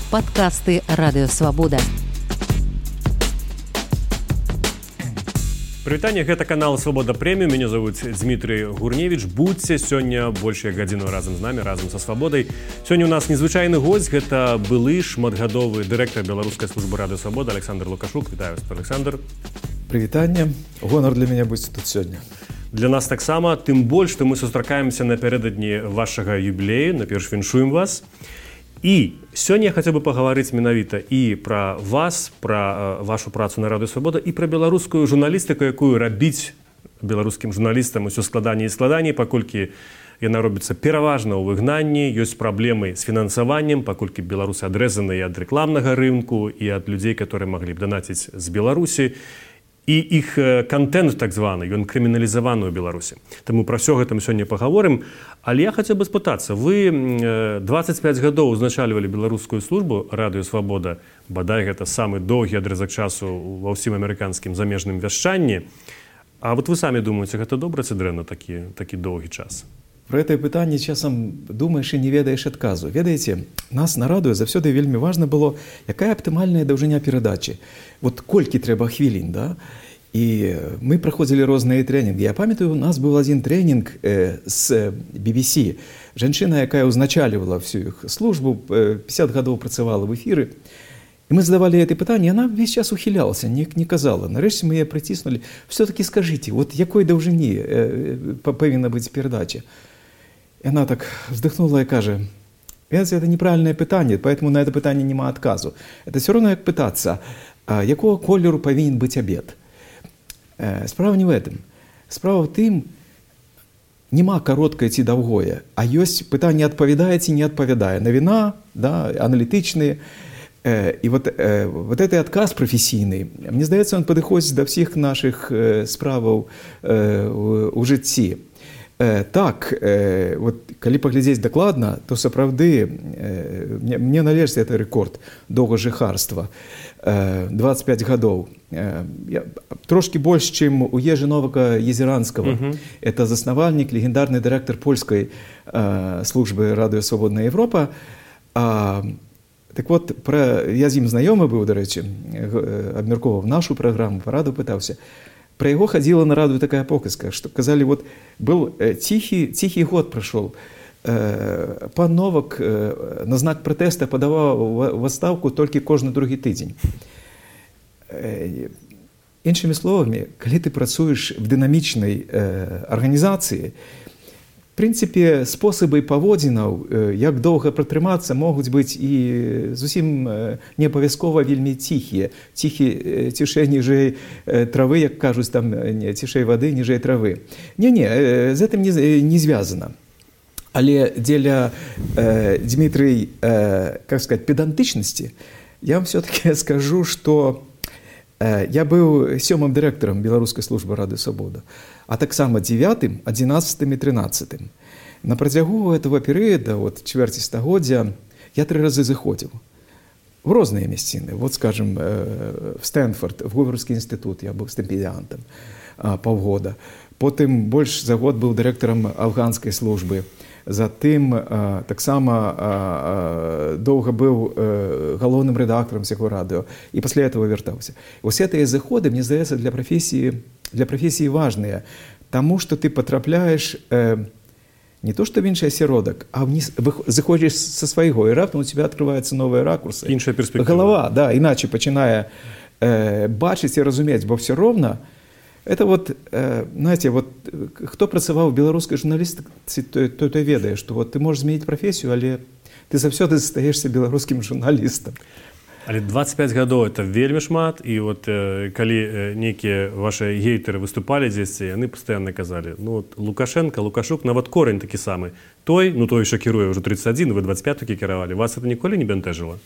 Падкасты Радыёвабода. Прывітанне, гэта канал Свабода Прэміум. Мяне зовут Дмітрий Гурневич. Будьце сёння больш як гадзіну разам з намі, разам са Свабодай. Сёння у нас незвычайны госць, гэта былы шматгадовы дырэктар беларускай службы Радыёвабода Александр Лукашук. Вітаю вас, Александр. Прывітанне. Гонар для мяне быць тут сёння. Для нас таксама, тым больш, што мы сустракаемся напярэдадні вашага юбілею. Наперш віншуем вас. І сёння я хацеў бы пагаварыць менавіта і пра вас, пра вашу працу на Радыёвабода і пра беларускую журналістыку, якую рабіць беларускім журналістам усё складаней і складаней, паколькі яна робіцца пераважна ў выгнанні, ёсць праблемы з фінансаваннем, паколькі беларусы адрэзаны ад рэкламнага рынку і ад людзей, которые маглі б данаціць з Беларусі. І іх контент, так званы, ён крыміналізаваны ў Беларусі. Таму пра ўсё гэта мы сёння пагаворым. Але я хацеў бы спытацца, вы 25 гадоў узначальвалі беларускую службу Радыёвабода, бадай гэта самы доўгі адрэзак часу ва ўсім амерыканскім замежным вяшчанні. А вот вы самі думаеце, гэта добра ці дрэнна такі доўгі час? Про гэтае пытанне часам думаеш і не ведаеш адказу. Ведаеце, нас на радыё заўсёды вельмі важна было, якая аптымальная даўжыня перадачы. Вот колькі трэба хвілін, да? І мы праходзілі розныя трэнінгі. Я памятаю, у нас быў адзін трэнінг з BBC. Жанчына, якая ўзначальвала всю іх службу, 50 гадоў працавала в эфіры. І мы задавалі гэтае пытанне, яна весь час ухілялася, не казала. Нарэшце мы яе прыціснулі. Все-таки скажите, вот якой даўжыні павінна быць перадача? И она так вздохнула и кажет: это неправильное питание, поэтому на это питание нема отказу. Это все равно как пытаться, якого колеру повинен быть обед. Справа не в этом. Справа в тым, нема короткое ці довгое, а есть питание отповедае ці не отповедае. Навіна, да, аналитичные. И вот этот отказ професійний, мне здається, он підходить до всіх наших справаў у житті. Так, вот, калі паглядзець дакладна, то сапраўды мне належыць это рэкорд доўгажыхарства. 25 гадоў. Трошки больш, чым у Ежы Новака Езеранскага. Это заснавальнік, легендарны дырэктар польскай службы Радыёвабодная Европа. Так вот, я з ім знаёмы быў, дарэчы, абмяркоўваў нашу праграму, параду пытаўся. Про яго хадзіла на радыё такая показка, што казалі, вот был ціхі год прайшоў. Пан Новак на знак пратэста падаваў в адстаўку толькі кожны другі тыдзень. Іншымі словамі, калі ты працуеш в дынамічнай арганізацыі, в прынцыпе, спосабы паводзінаў, як доўга пратрымацца, могуць быць і зусім не абавязкова вельмі ціхія. Цішэй ніжэй травы, як кажуць, там, цішэй вады, ніжэй травы. Не, з гэтым не звязана. Але дзеля, Дмітрый, как сказать, педантычнасці, я вам все-таки скажу, што я быў 7-м дырэктарам беларускай службы Радыёвабода, а таксама 9-м, 11-м и 13-м. На працягу этого перыяда, вот, чвэрці стагоддзя, я 3 разы заходзіў в розныя мясціны. Вот, скажем, в Стэнфорд, в Говарdsкі інстытут я быў стыпендыянтам паўгода. Потым больш за год быў дырэктарам афганскай службы. Затым таксама доўга быў галоўным рэдактарам сяго радыё. І пасля этого вяртаўся. Вось гэтыя заходы, мне здаецца, для профессии важные, тому, что ты потрапляешь не то что в інший асяродак, а заходишь со своего, и раптом у тебя открываются новые ракурсы. Іншая перспектива. Голова, да, иначе починає бачить и разуметь, бо все ровно. Это вот, знаете, вот, хто працаваў в беларускай журналістыцы, той ведае, што вот ты можаш змяніць прафесію, але ты заўсёды застаешься беларускім журналістам. Але 25 гадоў это вельмі шмат, і вот калі нейкія ваши гейтары выступалі дзесьці, яны пастаянна казалі, ну вот Лукашенко, Лукашук, нават корень такі самы. Той що кіруе ўжо 31, вы 25 такі кіравалі. Вас это ніколі не бянтэжыла?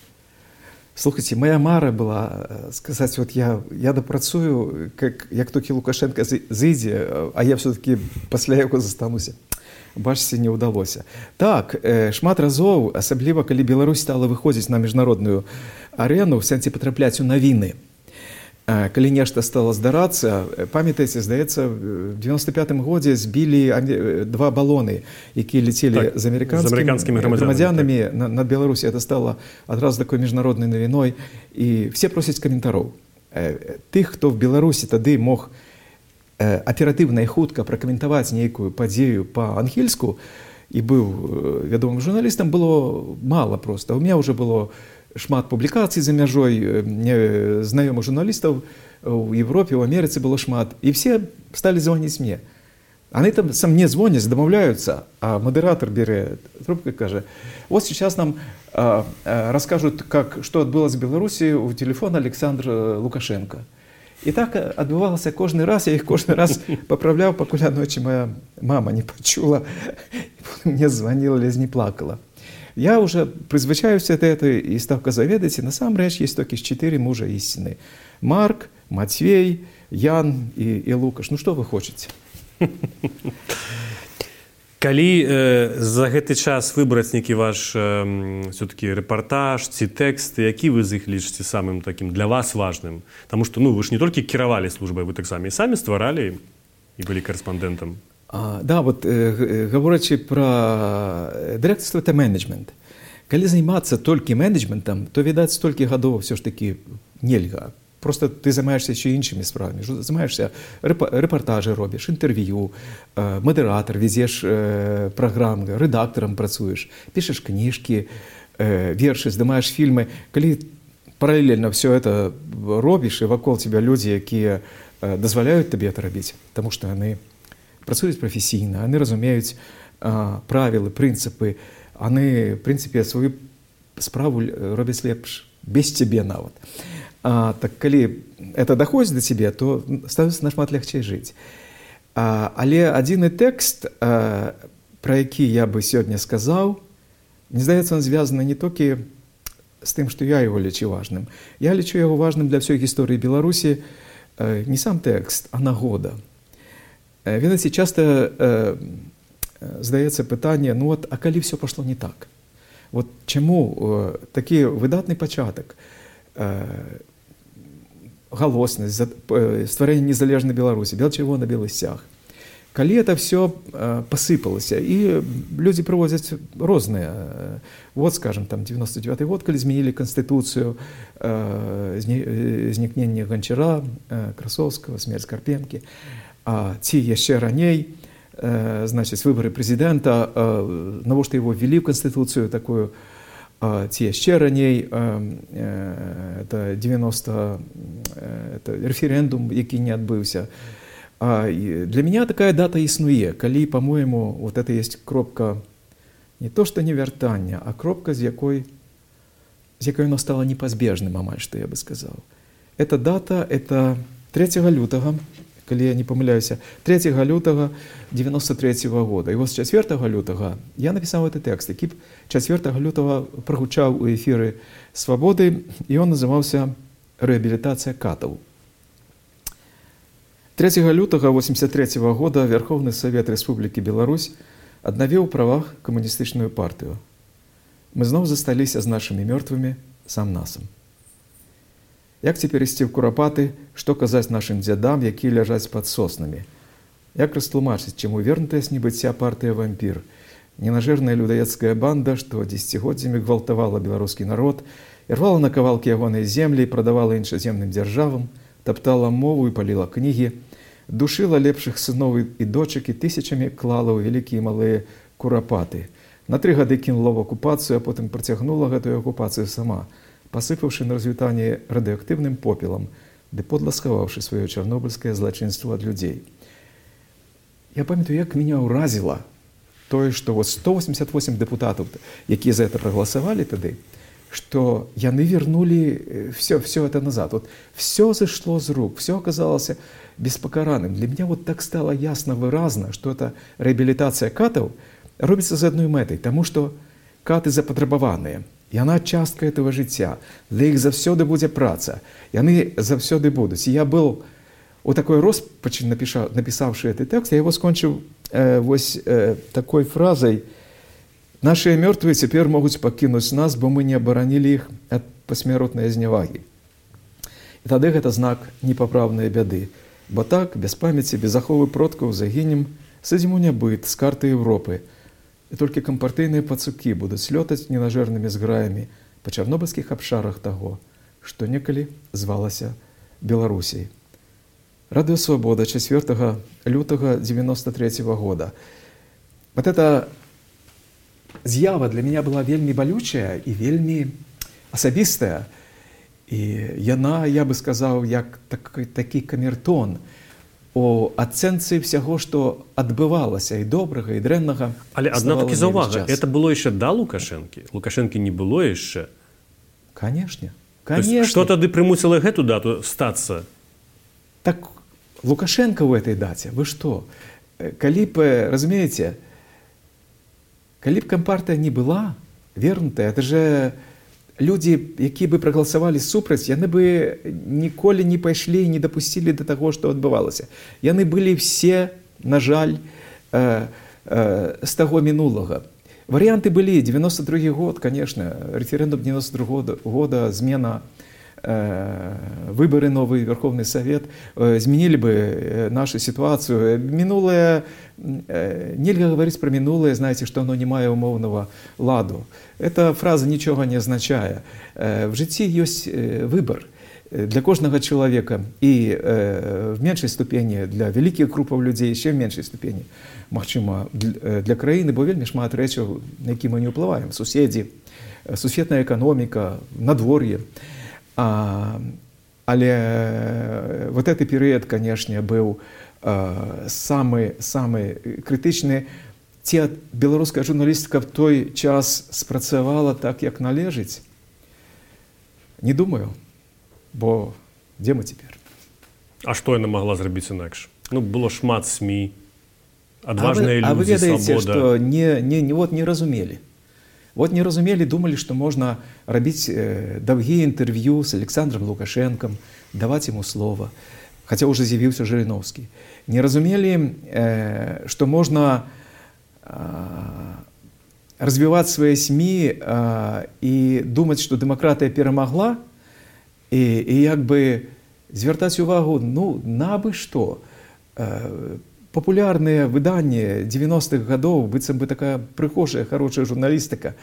Слухайте, моя мара была сказать, вот я допрацую, як толькі Лукашенко зыдзе, а я все-таки пасля яго застануся. Бачыце, не ўдалося. Так, шмат разоў, асабліва калі Беларусь стала выходзіць на міжнародную арену, в сэнсе патрапляць у навіны. калі нешта стало здарацца, памятаеце, здаецца, в 95-м годзе збілі 2 балоны, якія ляцелі з амерыканскімі грамадзянамі над Беларусі. Это стало адразу такой міжнароднай навіной, і все просяць каментароў. Тых, хто в Беларусі тады мог аператыўна і хутка пракаментаваць нейкую падзею па-ангельску і быў вядомым журналістам, было мала проста. У меня уже было шмат публікацый за мяжой, знаёмых журналістаў у Европе, у Амерыцы было шмат, і все стали звоніць мне. Они там со мне звонят, домовляются, а модератор берет трубку и скажет: вот сейчас нам расскажут, что отбылось в Беларуси у телефона Александра Лукашенко. И так отбывалось каждый раз, я их каждый раз поправлял, пока ночи моя мама не почула, мне звонила, лезь не плакала. Я уже призвычаюся от этого и став казаведать, и на самом деле есть только 4 мужа истины: Марк, Матвей, Ян и Лукаш. Ну что вы хотите? Калі за гэты час выбраць нейкі ваш все-таки рэпартаж ці тэкст, які вы з іх лічыце самым такім для вас важным? Таму што вы ж не толькі кіравалі службай, вы таксама і самі стваралі і былі корэспандэнтам. Да, вот говорячи про директорство, это менеджмент. Калі займацца толькі менеджментам, то, відаць, столькі гадоў все ж таки нельга. Просто ты займаешься еще іншими справами. Займаешься репортажи робишь, интервью, модератор, везешь программы, редактором працуешь, пишешь книжки, верши, здымаешь фильмы. Калі параллельно все это робишь, и вокруг тебя люди, якія дазваляют тебе это рабіць, потому что они працуюць професійна, они разумеюць правілы, прынцыпы, они, в принципе, свою справу робяць лепш, без тебе нават. Так калі это доходит до тебе, то становится нашмат легче жить. Але адзіны тэкст, про які я бы сегодня сказал, мне здаецца, он звязаны не толькі с тым, что я его лічу важным. Я лічу его важным для всей гісторыі Беларусі не сам тэкст, а нагода. Ведаеце, часто здаецца пытанне: ну вот, а калі все пошло не так? Вот чаму такі выдатны пачатак, галоснасць, стварэнне незалежнай Беларусі, бел-чырвона, белы сцяг. Калі это все посыпалася, і людзі прывозяць розныя. Вот, скажем, там 99-й год, калі змянілі канстытуцыю, знікненне Ганчара, Красоўскага, смерць Карпенкі, ці яшчэ раней, значыць, выбары прэзідэнта, навошта его ввели в канстытуцыю такую, ці яшчэ раней, это 90, это референдум, які не адбыўся. Для меня такая дата існуе, калі, по-моему, вот это есть кропка, не то что не вяртання, а кропка, з якой оно стало непазбежным, амаль што я бы сказал. Эта дата, это 3 лютага, калі я не памыляюся, 3 лютага 93-го года. І вот з 4 лютага я написал этот текст, які 4 лютага прогучаў у эфіры «Свободы», і он называўся «Реабилитация катаў». 3 лютага 1983 года Верховный Совет Республики Беларусь аднавіў у правах камуністычную партыю. Мы зноў засталіся з нашымі мёртвымі сам-насам. Як цяпер ісці ў курапаты, што казаць нашым дзядам, якія ляжаць пад соснамі? Як растлумачыць, чаму вернутая з небыцця партыя «Вампір», ненажэрная людоедская банда, што дзесяцігоддзямі гвалтавала беларускі народ, ірвала на кавалкі ягонай землі і прадавала іншаземным дзяржавам, таптала мову і паліла кнігі, душыла лепшых сыноў і дочак і тысячамі клала ў вялікія і малыя курапаты. На 3 гады кінула в акупацыю, а потым працягнула гэтую акупацыю сама, посыпавши на развітанне радыоактыўным попелам, ды подла схаваўшы сваё чарнобыльскае злачынство ад людзей. Я памятаю, як меня ўразіла тое, што вот 188 депутатаў, якія за это прагаласавалі тады, што яны вернули все это назад. Вот все зашло з рук, все оказалось беспакараным. Для меня вот так стало ясно, выразно, что эта реабилитация катаў робіцца з адной мэтай, таму што каты запатрабаваныя. Яна частка этого жыцця. Для іх заўсёды будзе праца. Яны заўсёды будуць. І я был у такой роспачы, напісаўшы гэты тэкст, я его скончыў такой фразой: «Нашыя мёртвыя цяпер могуць пакінуць нас, бо мы не абаранілі іх ад пасмяротнай знявагі». І тады гэта знак непапраўнай бяды. Бо так, без памяці, без аховы продкаў загінем, садзіму нябыт з карты Европы. І толькі кампартыйныя пацукі будуць лётаць ненажэрнымі зграямі па чарнобыльскіх абшарах таго, што некалі звалася Беларусей. Радыё Свабода 4 лютага 93 года. Вот эта з'ява для меня была вельмі балючая і вельмі асабістая. І яна, я бы сказаў, як такі камертон у ацэнцы ўсяго, што адбывалася і добрага, і дрэннага. Але адна-такі заўвага, это было яшчэ да Лукашэнкі? Лукашэнкі не было яшчэ? Канешне. Што тады прымусіла гэту дату стацца? Так Лукашенко ў этой даце, вы што? Калі б, разумееце, калі б кампартыя не была вернутая, это же людзі, якія бы прагаласавалі супраць, яны бы ніколі не пайшлі і не дапусцілі да таго, што адбывалася. Яны былі все, на жаль, з таго мінулага. Варыянты былі. 92 год, конечно, реферэндум 92 года, змена, выборы, новый Верховный Совет изменили бы нашу ситуацию. Минулое, нельзя говорить про минулое, знаете, что оно не мае умовного ладу. Эта фраза ничего не означает. В житті есть выбор для кожного человека и в меньшей ступени для великих группов людей, еще в меньшей ступени, магчыма, для краіны, бо вельмі шмат рэчаў, на які мы не ўплываем. Суседзі, сусветная эканоміка, надвор'е. Але вот этот перыяд, конечно, был самый крытычны. Ці беларуская журналістыка в той час спрацавала так, як належыць? Не думаю, бо дзе мы цяпер? А што яна магла зрабіць інакш? Ну, было шмат СМІ, адважныя людзі, свабода. А вы ведаеце, што не разумелі. Вот не разумелі, думалі, што можна рабіць даўгія інтэрв'ю з Александром Лукашэнкам, даваць яму слова, хаця ўжо з'явіўся Жырыноўскі. Не разумелі, што можна развіваць свае СМІ і думаць, што дэмакратыя перамагла, і як бы звяртаць увагу, ну, на абы што. Популярныя выданні 90-х гадоў, быццам бы такая прыгожая, хорошая журналістыка.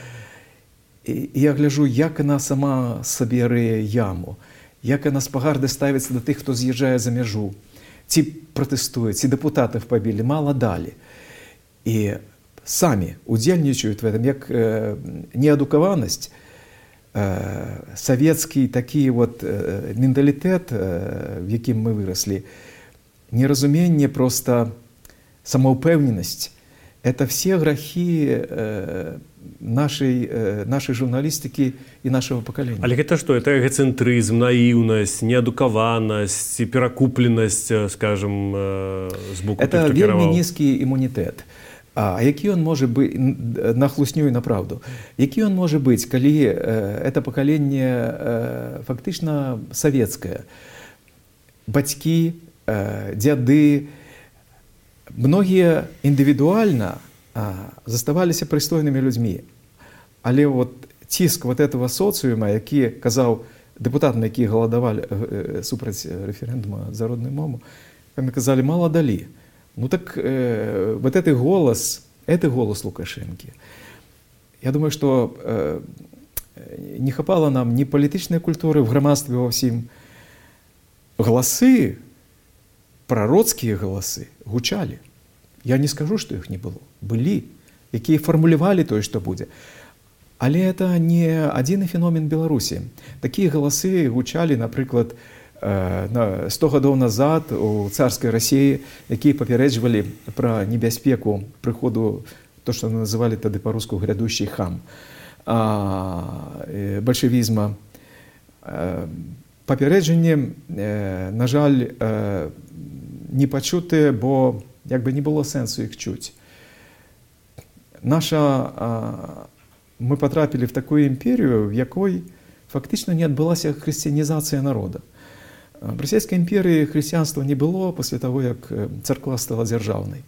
І я гляджу, як яна сама сабе рые яму, як яна з пагарды ставіцца да тых, хто з'язджае за мяжу, ці пратэстуе, ці дэпутатаў пабілі, мала далі. І самі удзельнічаюць в этом, як неадукаванасць, савецкі такі вот менталітэт, в якім мы выраслі, неразуменне, просто самоупевненность. Это все грехи нашей журналистики и нашего поколения. Але это что? Это эгоцентризм, наивность, неадукованность, перакупленность, скажем, с боку тех, это кто кіраваў? вельмі низкий иммунитет. А які он може бути, на хлусню і на правду, які он може бути, коли это поколение фактично советское? Бацькі, дзяды, многія індывідуальна заставаліся прыстойнымі людзьмі. Але вот ціск вот этого социума, які казаў дэпутатам, які галадавалі супраць рэферэндума за родную мову, яны казалі, мала далі. Ну так вот этот голос Лукашенки. Я думаю, что не хапала нам ни політичної культури в громадстві во всім. Голоси, пророцкие голоси гучали. Я не скажу, что их не было. Были, якія формулировали то, что будет. Але это не один феномен Беларуси. Такие голоси гучали, например, 100 гадоў назад у царской России, якія папярэджвалі про небяспеку прыходу, то, что называли тады по-руску грядущий хам, большевизма. Папярэджанні, на жаль, не пачутыя, бо як бы не было сэнсу іх чуць. Мы потрапілі в такую імперію, в якой фактично не адбылася хрысціянізацыя народа. В Российской империи христианства не было после того, как церква стала державной.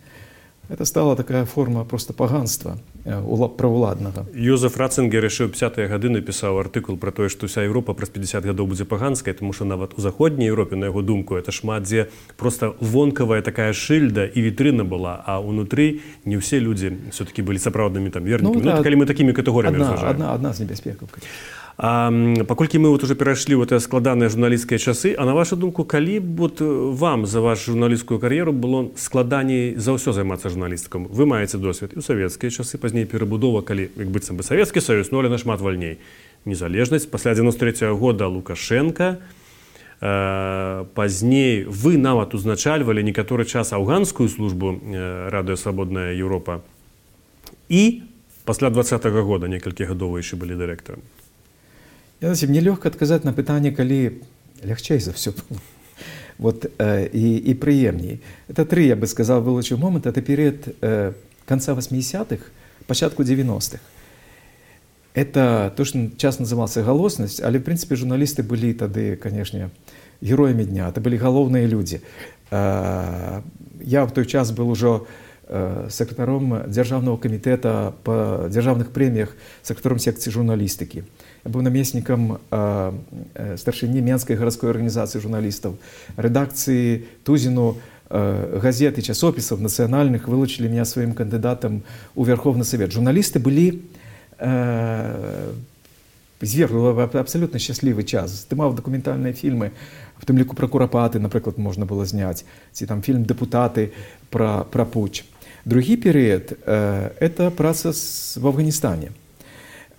Это стала такая форма просто поганства. правоўладнага. Йозеф Ратцингер яшчэ ў 50-е гады напісаў артыкул пра тое, што ўся Еўропа праз 50 гадоў будзе паганскай, тому што нават у заходняй Еўропе, на яго думку, это шмат дзе проста вонкавая такая шыльда і вітрына была, а ўнутры не ўсе людзі все-таки былі сапраўднымі там вернікамі. Ну, калі мы такімі катэгорыямі разважаем. Адна з небяспекаў. Паколькі мы вот уже перайшлі ў гэтыя складаныя журналісцкія часы, а на вашу думку, калі б вот вам за вашу журналісцкую кар'еру было складаней за ўсё займацца журналістыкам? Вы маеце досвед і ў савецкія часы, пазней перабудова, калі, як быццам бы, Савецкі Саюз, ну, але нашмат вальней. Незалежнасць, пасля 93-го года Лукашенка, пазней вы нават узначальвалі некаторы час афганскую службу Радыё Свабодная Еўропа і пасля 20-го года некалькі гадоў вы яшчэ былі дырэктарам. Мне лёгка адказаць на пытанне, калі лягчэй за ўсё было. Вот, і прыемней. Это тры, я бы сказал, вылучыў момант. Это перыяд конца 80-х, пачатку 90-х. Это то, что час назывался галоснасць, але, в принципе, журналісты былі тады, конечно, героямі дня. Это былі галоўныя людзі. Я в той час был ужо сакратаром Дзяржаўнага камітэта па дзяржаўных прэміях, сакратаром секцыі журналістыкі. Я быў намеснікам старшыні Менскай гарадской арганізацыі журналістаў. Рэдакцыі Тузіну газет і часопісаў нацыянальных вылучылі меня сваім кандыдатам у Верховны Савет. Журналісты былі зверху, абсолютно счастливый час. Здымаў дакументальныя фільмы, в тым ліку пра Курапаты, напрыклад, можна было зняць, ці там фільм «Дэпутаты» пра пуч. Другі перыяд – это праца в Афганістане.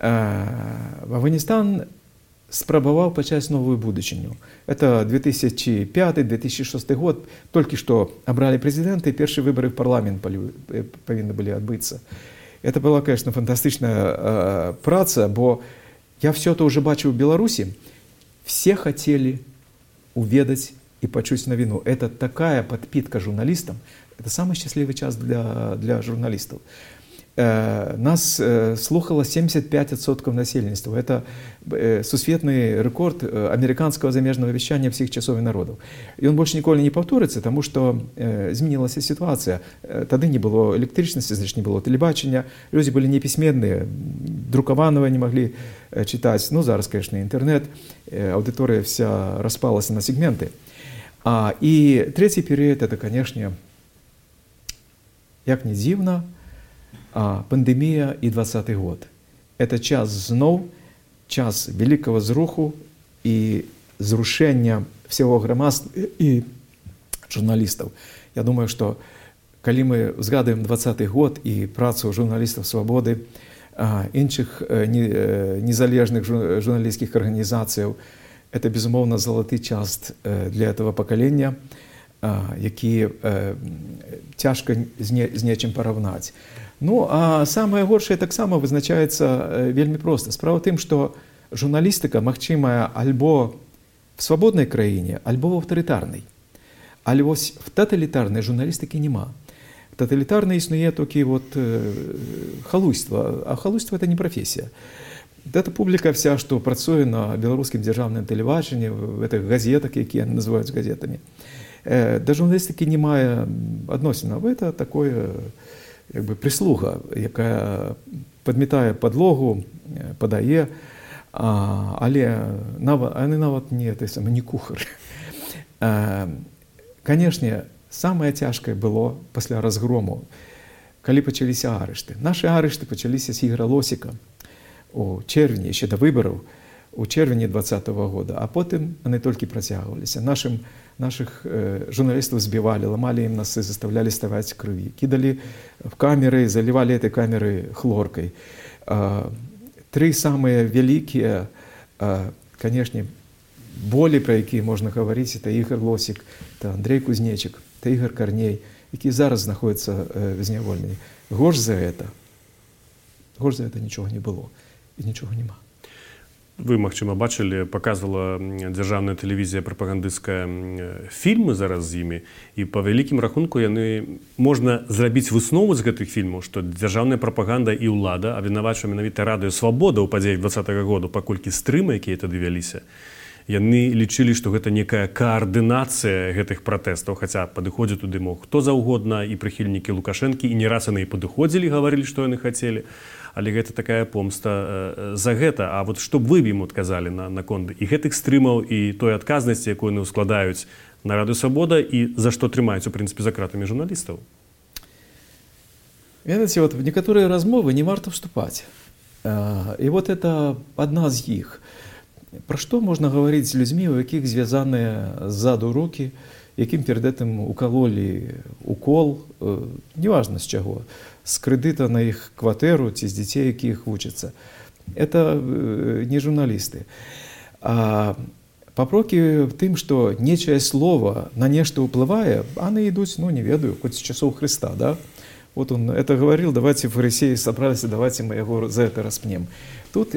Афганістан спрабаваў пачаць новую будучыню. Это 2005-2006 год. Толькі што абралі прэзідэнта, і першыя выбары в парламент павінны былі адбыцца. Это была, конечно, фантастычная праца, бо я все это уже бачыў в Беларусі. Все хотели уведаць и пачуць навіну. Это такая подпитка журналистам. Это самый счастливый час для журналистов. Нас слухало 75% насельніцтва. Это сусветны рэкорд американского замежного вещания всех часов и народов. И он больше ніколі не повторится, потому что изменилась ситуация. Тады не было электричности, значит, не было телебачення. Люди были неписьменные, друкованного не могли читать. Ну, зараз, конечно, интернет. Аудитория вся распалась на сегменты. И третий период, это, конечно, як не дзіўна, пандемія і 20-й год. Это час зноў, час вялікага зруху і зрушэння всего грамадства і журналістаў. Я думаю, што калі мы згадуем 20-й год і працу журналістаў «Свабоды», іншых незалежных журналісцкіх арганізацыяў, это, безумоўна, залаты час для этого пакалення, які цяжка з нечым параўнаць. Ну, а самае горшае таксама вызначаецца вельмі проста. Справа ў тым, што журналістыка магчымая альбо в свабоднай краіне, альбо в аўтарытарнай. Але вось в таталітарнай журналістыкі няма. Таталітарна існуе толькі вот халуйства, а халуйство это не профессия. Это публіка вся, што працуе на беларускім дзяржаўным тэлебачанні, в этих газетах, якія называюць газетамі. Да журналістыкі не мае адносінаў. Это такое як бы прислуга, якая падмятае падлогу, падае, але нават не кухар. Канешне, самае цяжкае было пасля разгрому, калі пачаліся арышты. Нашы арышты пачаліся з Ігора Лосіка у чэрвені, яшчэ да выбараў, у чэрвені 20-го года, а потым яны толькі працягваліся. Наших журналистов збивали, ломали им носы, заставляли ставать в крови, кидали в камеры, заливали этой камеры хлоркой. Три самые великие, конечно, боли, про які можна говорить, это Ігор Лосік, это Андрей Кузнечик, это Ігор Корней, які зараз знаходяцца в зняволенні. Горш за это нічого не было і нічого нема. Вы, магчыма, бачылі, паказвала дзяржаўная тэлевізія прапагандысцкая фільмы зараз з імі, і па вялікім рахунку яны можна зрабіць выснову з гэтых фільмаў, што дзяржаўная прапаганда і ўлада абвінавачвае менавіта Радыё Свабода ў падзеях 20-го году, паколькі стрымы, якія тады вяліся, яны лічылі, што гэта некая каардынацыя гэтых пратэстаў, хаця падыходзіць туды мог хто заўгодна, і прыхільнікі Лукашэнкі, і не раз яны і падыходзілі, гаварылі, што яны хацелі. Але гэта такая помста за гэта. А вот што б вы ім адказалі наконт і гэтых стрымаў, і той адказнасці, якую яны складаюць на Радыё Свабода, і за што трымаюць, у прынцыпе, за кратамі журналістаў? Ведаеце, вот в некоторые размовы не варто вступать. И вот это одна из них. Про что можно говорить с людьми, у яких звязаны ззаду руки, яким перед этим укололи укол, неважно с чего, с кредита на их квартиру, ці з детей, яких вучатся. Это не журналисты. А папрокі тым, што нечае слово на нешта ўплывае, яны ідуць, не ведаю, хоць з часоў Христа, да? Вот он это говорил, давайте фарисеи собрались, давайте мы его за это распнем. Тут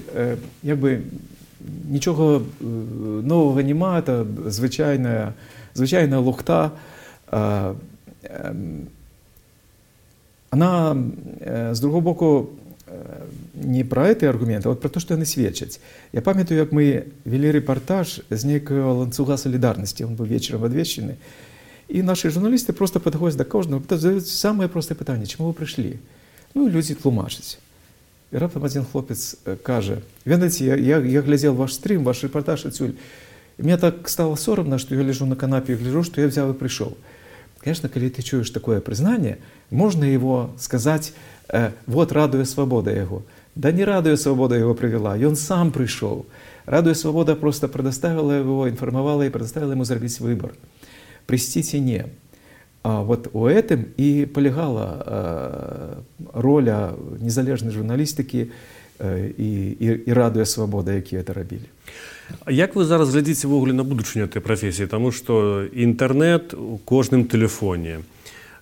ничего нового нема, это звичайная лухта. Она, з другого боку, не про эти аргументы, а вот про то, что яны сведчаць. Я памятаю, як мы вели репортаж з нейкага ланцуга солідарнасці, он быў вечером адвечаны. И наши журналисты просто подходят до кожного, задают самое простое питание: чему вы пришли? Люди тлумачаць. И раптом один хлопец каже: «Ведаеце, я глядел ваш стрим, ваш репортаж отсюль, и мне так стало соромно, что я лежу на канапе и гляжу, что я взял и пришел». Конечно, когда ты чуешь такое признание, можно его сказать: вот Радыё Свабода его. Да не Радыё Свабода его привела, и он сам пришел. Радыё Свабода просто предоставила его, информовала и предоставила ему сделать выбор. Прийсці не. А вот у этом и полягала роля незалежнай журналістыкі і Радыё Свабода, якія это рабілі. Як вы зараз глядзіце ввогуле на будучыню этой прафесіі? Таму што інтэрнэт у кожным тэлефоне,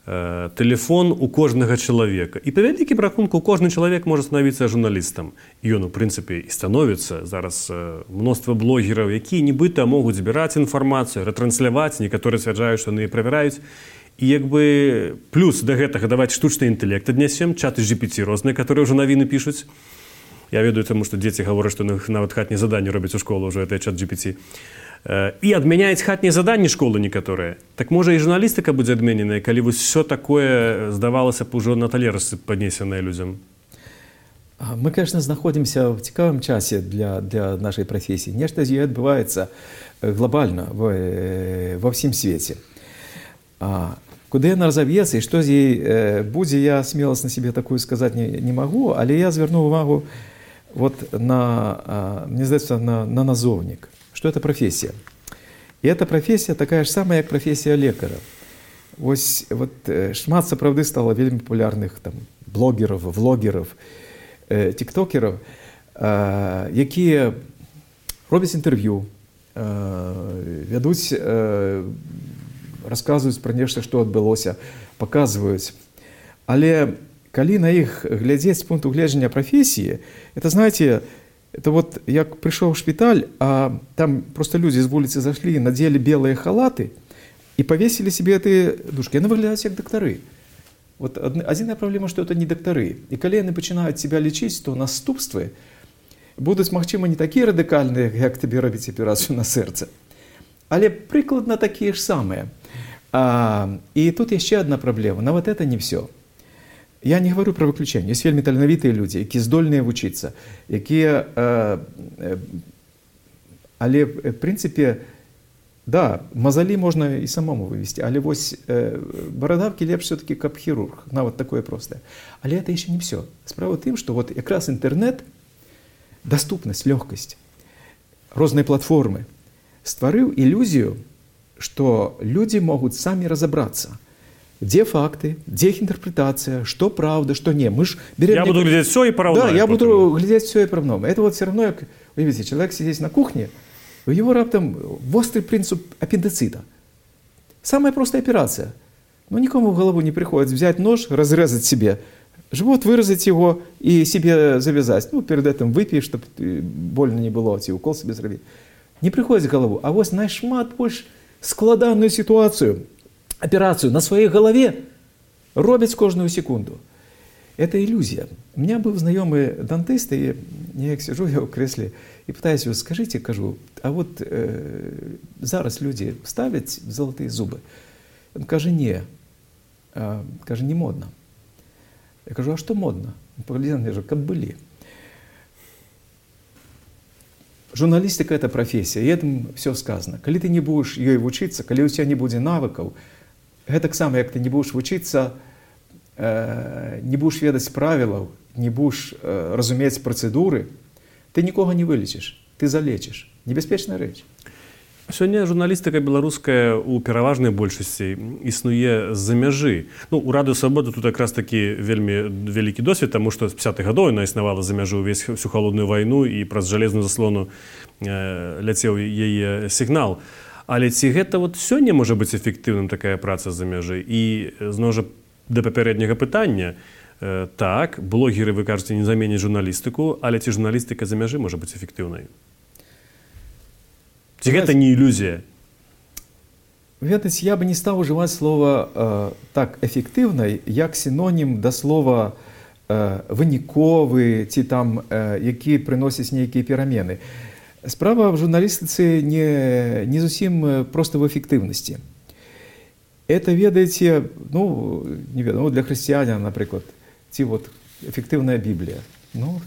тэлефон у кожнага чалавека. І па вялікім рахунку кожны чалавек можа станавіцца журналістам. І ён, у прынцыпе, і становіцца. Зараз мноства блогераў, якія нібыта могуць збіраць інфармацыю, ратрансляваць, некаторыя сцвярджаюць, што яны правяраюць. І плюс да гэтага даваць штучны інтэлект аднясем, чаты GPT розныя, которые ўжо навіны пішуць. Я ведаю, таму што дзеці гавораць, што нават хатнія заданні робяць у школу ўжо, гэта чат GPT. І адмяняюць хатнія заданні школы некаторыя. Так можа і журналістыка будзе адмененая, калі вось все такое, здавалася б, ужо на талерцы паднесенае людзям? Мы, конечно, знаходзімся в цікавым часе для нашай прафесіі. Нешта з ёй адбываецца глобальна ва ўсім свеце. Куды яна разав'ецца і што з ёй будзе, я смеласць на себе такую сказаць не магу, але я звярну увагу мне здаецца, на назоўнік. Что это профессия? И эта профессия такая же самая, как профессия лекара. Вот шмат сапраўды стало вельмі популярных блогеров, влогеров, тиктокеров, якія робяць інтэрв'ю, вядуць, расказваюць пра нешта, што адбылося, паказваюць. Але калі на іх глядзець з пункту гледжання профессии, это, знаете, это вот як пришел в шпиталь, а там просто люди с улицы зашли, надели белые халаты и повесили себе эти дужки. Они выглядят как докторы. Вот одна проблема, что это не докторы. И когда они начинают себя лечить, то наступствы будут, магчыма, не такие радикальные, как тебе робить операцию на сердце, але прикладно такие же самые. И тут еще одна проблема. Но вот это не все. Я не говорю про выключэнне. Ёсць вельмі таленавітыя людзі, якія здольныя вучыцца, якія, але, в прынцыпе, да, мазалі можна і самому вывесці, але вось барадавкі лепш все-таки, каб хірург, нават такое простае. Але это еще не все. Справа в тым, што вот якраз інтэрнэт, даступнасць, лёгкасць, розныя платформы стварыў ілюзію, што людзі могуць самі разабрацца. Где факты, где их интерпретация, что правда, что не. Мы ж берем... Я буду глядеть все и поравнаю. Да, я буду глядеть все и поравнаю. Это вот все равно, как, вы видите, человек сидит на кухне, у него раптом острый принцип аппендицита. Самая простая операция. Но никому в голову не приходит взять нож, разрезать себе живот, вырезать его и себе завязать. Перед этим выпей, чтобы больно не было, и укол себе зробить. Не приходит в голову. А вот найшмат больш складанную ситуацию, операцию на своей голове робяць кожную секунду. Это иллюзия. У меня был знакомый дантист, и я сижу я в кресле и пытаюсь его, скажите, кажу, а вот зараз люди ставят золотые зубы? Он каже, не. Каже, не модно. Я кажу, а что модно? Он поглядел на меня, как были. Журналистика – это профессия, и этим все сказано. Коли ты не будешь ей учиться, коли у тебя не будет навыков, это так само, как ты не будешь учиться, не будешь ведать правил, не будешь разуметь процедуры, ты никого не вылечишь, ты залечишь. Небяспечная речь. Сёння журналістыка беларуская ў пераважнай большасці існуе з-за мяжы. Ну, у Радыё Свабода тут якраз такі вельмі вялікі досвед, таму што з 50-х гадоў яна існавала за мяжу ўвесь всю халодную вайну і праз жалезную заслону ляцеў яе сігнал. Але ці гэта вот сёння можа быць эфектыўным такая праца з-за мяжы? І зноў жа да папярэдняга пытання, так, блогеры, вы кажаце, не заменяць журналістыку, але ці журналістыка за мяжы можа быць эфектыўнай? Это не иллюзия. Ведаць, я бы не стал уживать слово так эффективной, як синоним до слова выніковы, ці там, які приносять некие перемены. Справа в журналистике не зусім просто в эффективности. Это, ведаете, ну, не ведаю, для христианина, например, ці вот эффективная Библия. Ну,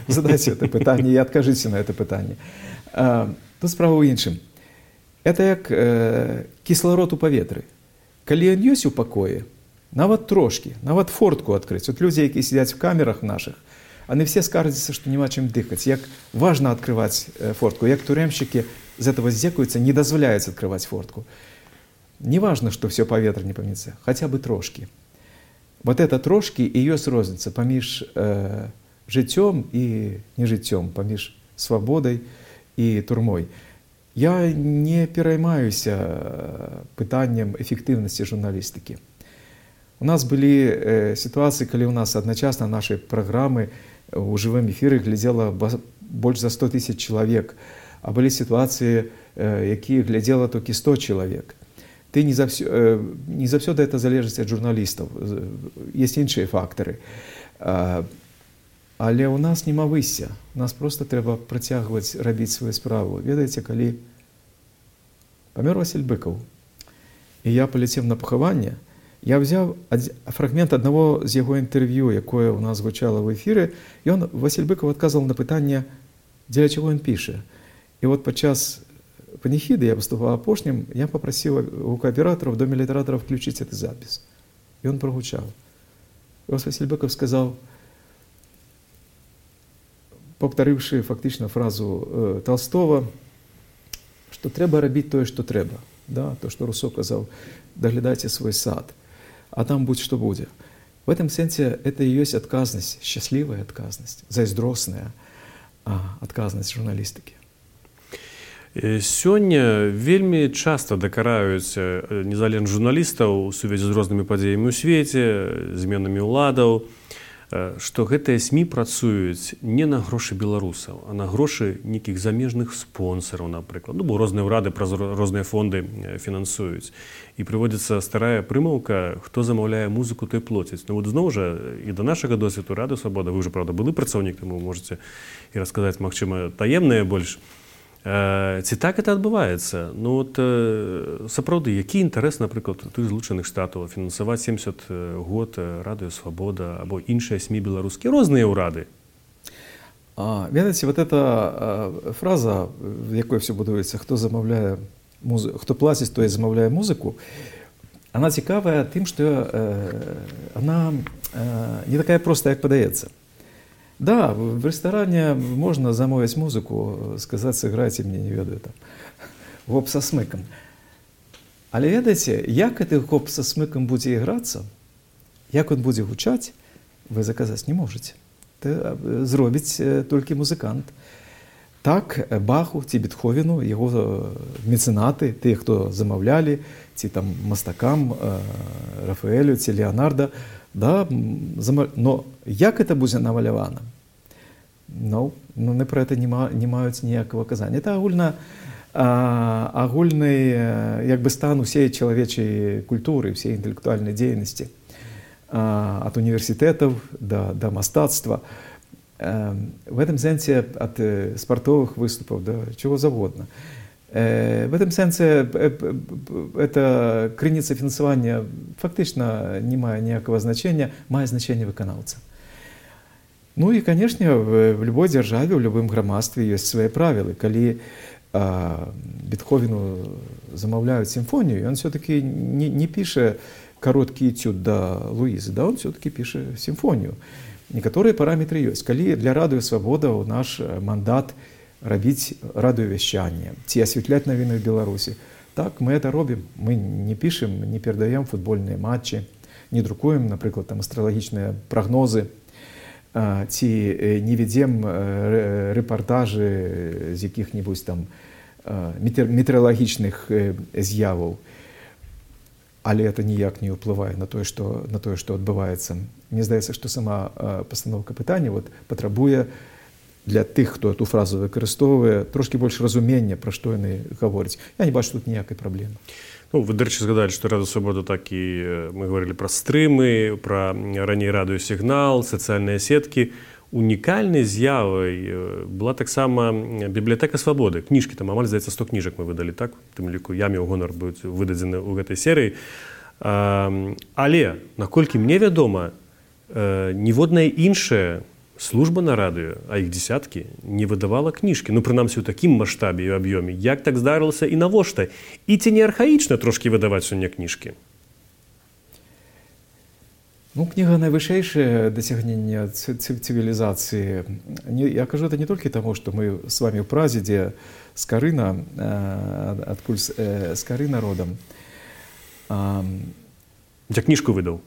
задайте это питание и откажите на это питание. Тут справа ў іншым. Это як кісларод у паветры. Калі ён ёсць у пакоі, нават трошкі, нават фортку адкрыць. Вот людзі, якія сидзяць в камерах наших, они все скардзяцца, што няма чым дыхаць. Як важна открываць фортку, як турэмшчыкі з этого здзекуюцца, не дазваляюць открываць фортку. Не важно, што все паветра не паміцца, хаця бы трошкі. Вот это трошкі і ёсць розніца паміж жыццём і нежыццём, паміж свабодай и турмой. Я не пераймаюся пытаннем эффективности журналистики. У нас были ситуации, когда у нас одночасно наши программы у живом эфире глядело больше за 100 тысяч человек, а были ситуации, якія глядело только 100 человек. Ты не завсёды это залежыць от журналистов. Есть іншыя факторы. Але у нас нема высся. У нас просто трэба працягваць рабіць сваю справу. Ведаеце, калі памёр Васіль Быкаў, і я паляцеў на пахаванне, я взяў фрагмент аднаго з яго інтэрв'ю, якое у нас гучала в эфіры, і Васіль Быкаў адказваў на пытанне, дзеля чаго ён піша. І вот падчас паніхіды, я выступаў апошнім, я папрасіў гукааператараў, в Доме літаратараў включить этот запис. І он прогучаў. І Васіль Быкаў сказаў, повторивши фактично фразу Толстого, что треба робити то, що треба. Да? То, що Руссо казав, доглядайте свой сад, а там будь что будет. В этом сенсе это и есть отказность, счастливая отказность, зайздросная отказность журналистики. Сёння вельмі часта дакараюць незалежных журналістаў у сувязі з рознымі падзеямі ў свеце, зменамі ўладаў, што гэтыя СМІ працуюць не на грошы беларусаў, а на грошы нейкіх замежных спонсараў, напрыклад. Ну, бо розныя ўрады праз розныя фонды фінансуюць. І прыводзіцца старая прымаўка, хто замаўляе музыку, той плоціць. Ну, вот зноў жа, і да нашага досведу Радыё Свабода, вы ўжо, правда, былы працаўнік, таму можаце і расказаць, магчыма, таемнае больш. Ці так это адбываецца? Ну, от, сапраўды, які інтарэс, напрыклад, тых Злучаных Штатаў фінансаваць 70 год Радыё Свабода або іншыя СМІ беларускія, розныя ўрады? Ведаеце, вот эта фраза, в якой все будуецца, хто замаўляе музыку, хто плаціць, той замаўляе музыку, она цікавая тым, што она не такая простая, як падаецца. Да, в ресторане можно замовить музыку, сказать, сыграйте мне, не ведаю, там, гоп со смыком. Але ведаеце, як гэты гоп со смыком будзе іграцца, як он будзе гучаць, вы заказаць не можете. Это зробіць толькі музыкант. Так, Баху ці Бетховену, яго мецэнаты, тыя, хто замаўлялі, ці там мастакам, Рафаэлю, ці Леонардо, да, но як это будзе намалявана? Ну, не про это не маюць ніякага казання. Это агульны як бы стан усей чалавечай культуры, всей інтэлектуальнай дзейнасці. ад універсітэтаў да мастацтва. В этом сэнсе ад спартовых выступаў да чего завгодна. В этом сэнсе эта крыніца фінансавання фактычна не мае ніякага значення, мае значэнне выканаўца. Ну і, канешне, в любой дзяржаве, в любым грамадстве ёсць свае правілы. Калі Бетховену замаўляюць сімфонію, ён все-таки не піша кароткі этюд да Луізы, да, он все-таки піша сімфонію. Некаторыя параметры ёсць. Калі для радыё «Свабода» ў наш мандат рабіць радыёвяшчанне ці асвятляць навіны ў Беларусі, так, мы это робім. Мы не пішам, не перадаем футбольныя матчы, не друкуем, напрыклад, там астралагічныя прагнозы, ці не ведзем рэпартажы з якіх-небудзь там метэаралагічных з'яваў. Але это ніяк не ўплывае на тое, што адбываецца. Мне здаецца, што сама пастаноўка пытання патрабуе для тых, хто эту фразу выкарыстоўвае, трошкі больш разумення, пра што яны гавораць. Я не бачу тут ніякай праблемы. Ну, вы, дарэчы, згадалі, што Радыё Свабода, так і мы гаварылі пра стрымы, пра раней радыёсігнал, сацыяльныя сеткі. Унікальнай з'явай была таксама бібліятэка Свабоды. Кніжкі, там амаль, здаецца, 100 кніжак мы выдалі, так? У тым ліку я меў гонар быць выдадзены ў гэтай серыі. Але, наколькі мне вядома, ніводная іншая служба на радыё, а іх дзесяткі, не выдавала кніжкі. Ну, прынамсі, у такім маштабе і аб'ёме. Як так здарылася і навошта? І ці не архаічна трошкі выдаваць сёння кніжкі? Ну, кніга найвышэйшае дасягненне цывілізацыі. Я кажу это не толькі таму, што мы з вами ў Празе, дзе Скарына, адкуль Скарына родам. Я кніжку выдаў.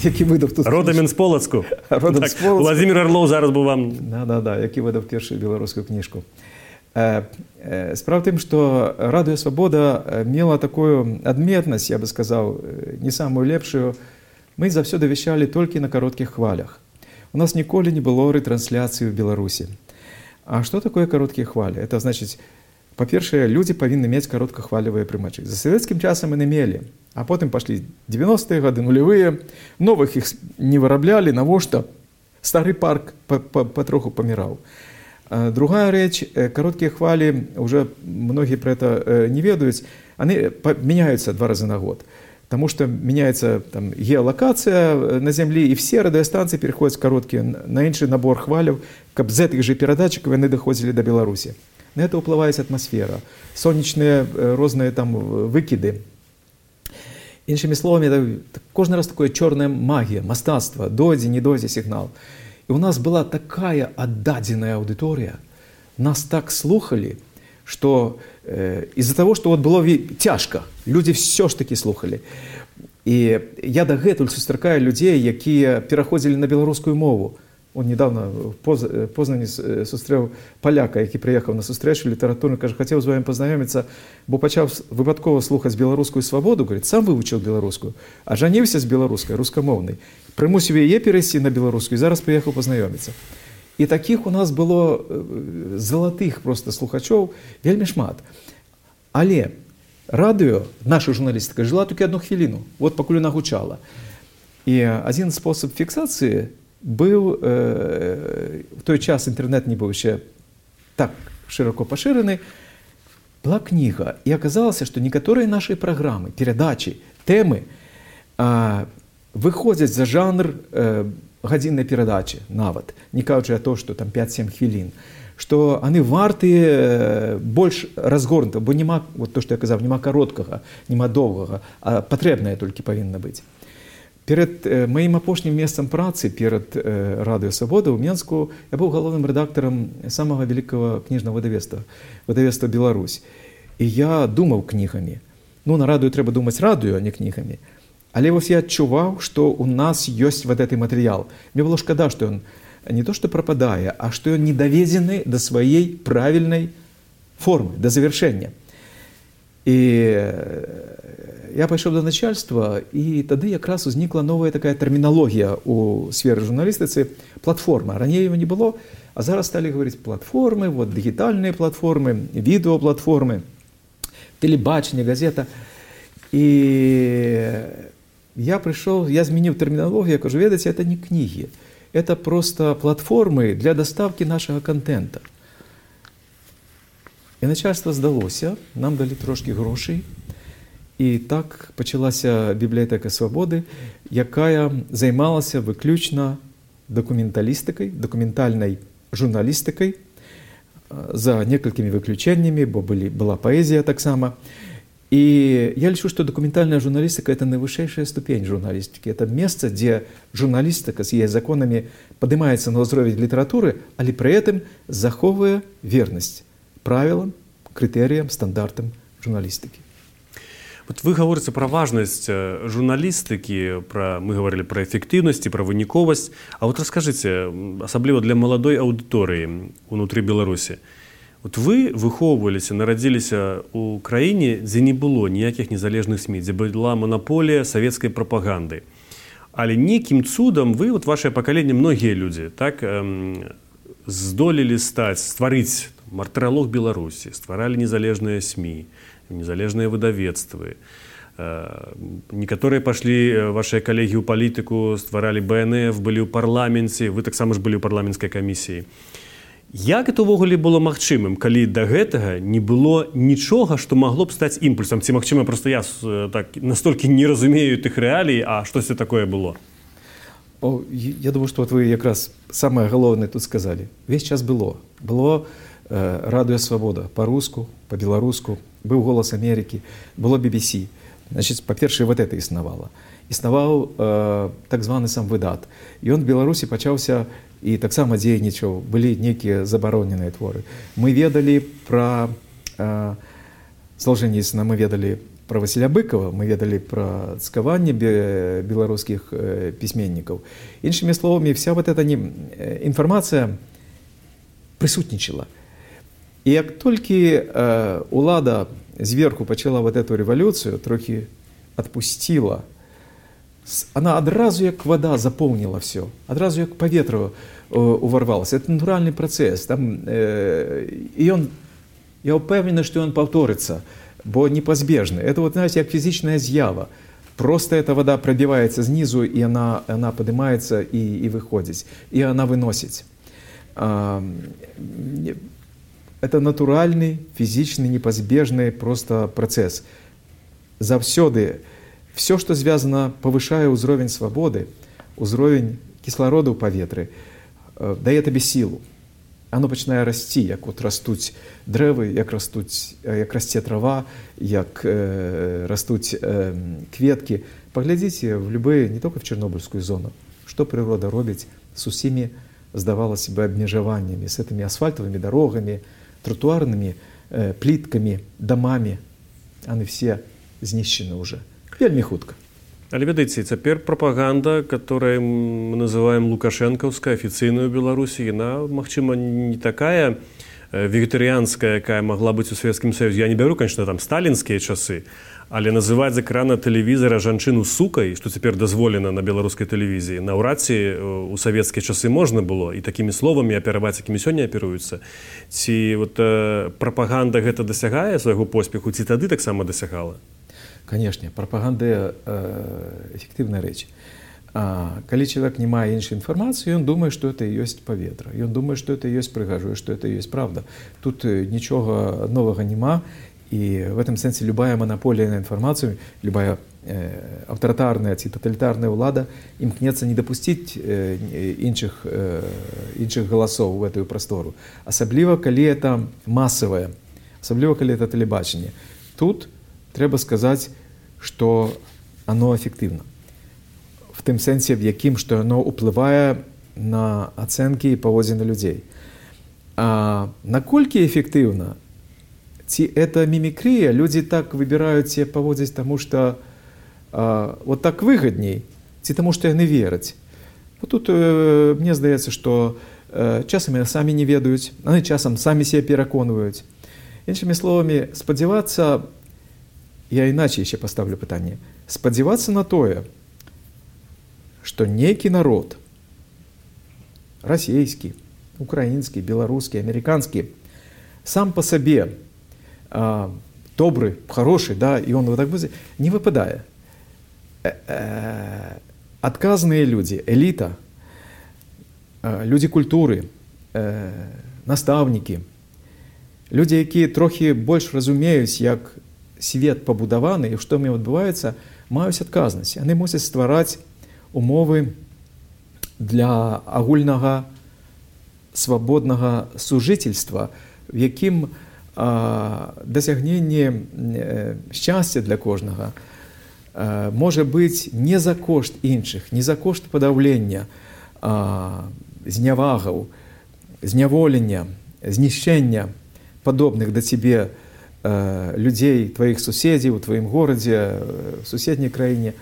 Які выдаў тут? Родам з Полацку. Родам з Полацку. Владзімір Арлоў зараз бы вам... Да, які выдаў першую беларускую кніжку. Справа в тым, што Радыё Свабода мела такую адметнасць, я бы сказаў, не самую лепшую. Мы заўсёды вяшчалі толькі на кароткіх хвалях. У нас ніколі не было рэтрансляцыі ў Беларусі. А што такое кароткія хвалі? Это значыць, па-першае, людзі павінны мець кароткахвалевыя прымачы. За савецкім часам яны мелі, а потым пашлі 90-е гады, нулявыя, новых іх не выраблялі, навошта? Стары парк патроху паміраў. Другая рэч, кароткія хвалі, уже многія пра это не ведаюць, яны мяняюцца 2 разы на год. Потому что меняется там геолокация на Земле, и все радиостанции переходят короткие на інший набор хвалів, каб з этих же передатчиков они доходили до Беларуси. На это уплывает атмосфера, солнечные разные там выкиды. Іншими словами, это кожный раз такое черная магия, мастацтво, дойдзе, не дойдзе сигнал. И у нас была такая отдаденная аудитория, нас так слухали, что из-за того, что было тяжко, люди все ж таки слухали. И я дагэтуль сустракаю людей, якія пераходзілі на беларускую мову. Он недавно в Познані сустрэў паляка, які прыехаў на сустрэчу літаратурную, кажа, хацеў з вами пазнаёміцца, бо пачаў выпадкова слухаць беларускую свабоду, говорит, сам вывучыў беларускую, а жаніўся з беларускай, рускамоўнай. Прымусіў яе перайсці на беларускую, і зараз прыехаў пазнаёміцца. І такіх у нас было залатых просто слухачоў вельмі шмат. Але радыё, наша журналістыка, жыла толькі 1 хвіліну, вот пакуль яна гучала. І адзін спосаб фіксацыі быў, в той час інтэрнэт не быў яшчэ так шырока пашыраны, была кніга. І аказалася, што некаторыя нашы праграмы, перадачы, тэмы выходзяць за жанр гадзіннай перадачы нават, не кажучы о том, што там 5-7 хвілін, што яны варты больш разгорнута, бо няма, вот то, што я казаў, няма кароткага, няма доўгага, а патрэбнае толькі павінна быць. Перад маім апошнім месцам працы, перад Радыё Свабода ў Менску, я быў галоўным рэдактарам самага вялікага кніжнага выдавецтва Беларусь. І я думаў кнігамі. Ну, на радыё трэба думаць радыё, а не кнігамі. Але вось я адчуваў, што у нас ёсць вот гэты матэрыял. Мне было шкада, што ён не то што прападае, а што ён не даведзены да сваёй правільнай формы, да завяршэння. І я пайшоў да начальства, і тады якраз узнікла новая такая тэрміналогія ў сферы журналістыцы, платформа. Раней его не было, а зараз сталі гаварыць платформы, вот дыгітальныя платформы, відэоплатформы, тэлебачанне, газета. І я пришел, я изменил терминологию, я кажу, ведаете, это не книги, это просто платформы для доставки нашего контента. І начальство здалося, нам дали трошки грошей, і так почалася бібліотека Свободи, яка займалася виключно документалістикою, документальною журналістикою, за некалькими выключениями, бо была поэзия так само. И я лечу, что документальная журналистика – это наивысшая ступень журналистики. Это место, где журналистика с ее законами поднимается на уровень литературы, але при этом заховывая верность правилам, критериям, стандартам журналистики. Вот вы говорите про важность журналистики, мы говорили про эффективность, про выніковасць. А вот расскажите, особливо для молодой аудитории внутри Беларуси, вот вы выхоўваліся, нарадзіліся ў краіне, дзе не было ніякіх незалежных СМІ, дзе была монополія савецкай прапаганды. Але нейкім цудам вы, вот ваше пакаленне, многія людзі, так, здолелі стварыць мартыралог Беларусі, стваралі незалежныя СМІ, незалежныя выдавецтвы. Некаторыя пашлі, вашыя калегі ў палітыку, стваралі БНФ, былі ў парламенце, вы таксама ж былі ў парламенцкай камісіі. Як это ўвогуле было магчымым, калі да гэтага не было нічога, што магло б стаць імпульсам? Ці магчыма, проста я так настолькі не разумею тых рэалій, а штосьці такое было? Я думаю, что вот вы якраз самое галоўнае тут сказали. Весь час было. Было радыё «Свабода» па-руску, па-беларуску, быў «Голас Амерыкі», было BBC. Значит, па-першае, вот это існавала. Існаваў так званы сам выдат. І ён в Беларусі пачаўся і таксама дзейнічаў, былі нейкія забароненыя творы. Мы ведалі пра Солженіцына, мы ведалі пра Васіля Быкова, мы ведалі пра цкаванне беларускіх пісьменнікаў. Іншымі словамі, вся вот эта інфармацыя прысутнічала. І як толькі улада зверху пачала вот эту рэвалюцыю, трохі адпусціла, она адразу як вода заполнила все, адразу як паветра уварвалася. Это натуральный процесс. Там, я упевнены, что он повторится, бо непозбежно. Это вот, знаете, как физичная з'ява. Просто эта вода пробивается снизу, и она поднимается и выходит, и она выносит. Это натуральный, физичный, непозбежный просто процесс. Завсёды все, что звязано, повышая ўзровень свободы, ўзровень кислорода ў паветры, дае табе сілу. Оно пачынае расці, як вот растуць дрэвы, як расце трава, як растуць кветкі. Поглядзіце в любые, не только в Чернобыльскую зону, что природа робіць с усімі, здавалось бы, абмежаваннями, с этими асфальтовыми дорогами, тротуарными плитками, домами. Они все знищены уже. Вельмі хутка. Але ведаеце, цяпер прапаганда, которую мы называем лукашэнкаўская, афіцыйная ў Беларусі, яна, магчыма, не такая вегетарианская, якая могла быць у Савецкім Саюзе. Я не бяру, конечно, там сталінскія часы, але называць з экрана тэлевізара жанчыну сукай, што цяпер дазволена на беларускай тэлевізіі, наўрад ці у савецкія часы можна было і такімі словамі апераваць, якімі сёння аперуюцца. Ці вот прапаганда гэта дасягае свайго поспеху, ці тады таксама дасягала? Конечно, пропаганда эффективная речь. Калі человек не мае іншай информации, он думает, что это и есть паветра. И он думает, что это и есть прыгажу, что это и есть правда. Тут ничего нового нема. И в этом смысле любая монополия на информацию, любая авторитарная ці тоталитарная ўлада імкнецца не допустить іншых голосов в эту простору. Особливо, калі это массовое, особливо, калі это телебачение. Тут треба сказать, что оно эффективно. В тым сэнсе, в якім, што оно уплывае на ацэнкі і паводзіны людзей. А наколькі эффективно? Ці это мімікрія? Людзі так выбіраюць себе паводзіць, таму што вот так выгадней, ці таму што яны вераць. Вот тут мне здаецца, што часам яны самі не ведаюць, яны часам самі себе пераконваюць. Іншымі словамі, спадзявацца, я иначе еще поставлю пытанне. Спадзявацца на тое, што нейкі народ, расійскі, украінскі, беларускі, амерыканскі, сам по сабе добры, хороший, да, и он вот так будет, не выпадае. адказныя людзі, эліта, людзі культуры, настаўнікі, людзі, якія трохі больш разумеюць, як свет пабудаваны і што ў ім адбываецца, маюць адказнасць. Яны мусяць ствараць умовы для агульнага свабоднага сужыцельства, в якім дасягненне шчасця для кожнага можа быць не за кошт іншых, не за кошт падаўлення, знявагаў, зняволення, знішчэння падобных да цябе людзей, тваіх суседзяў, у тваім горадзе, в суседняй краіне,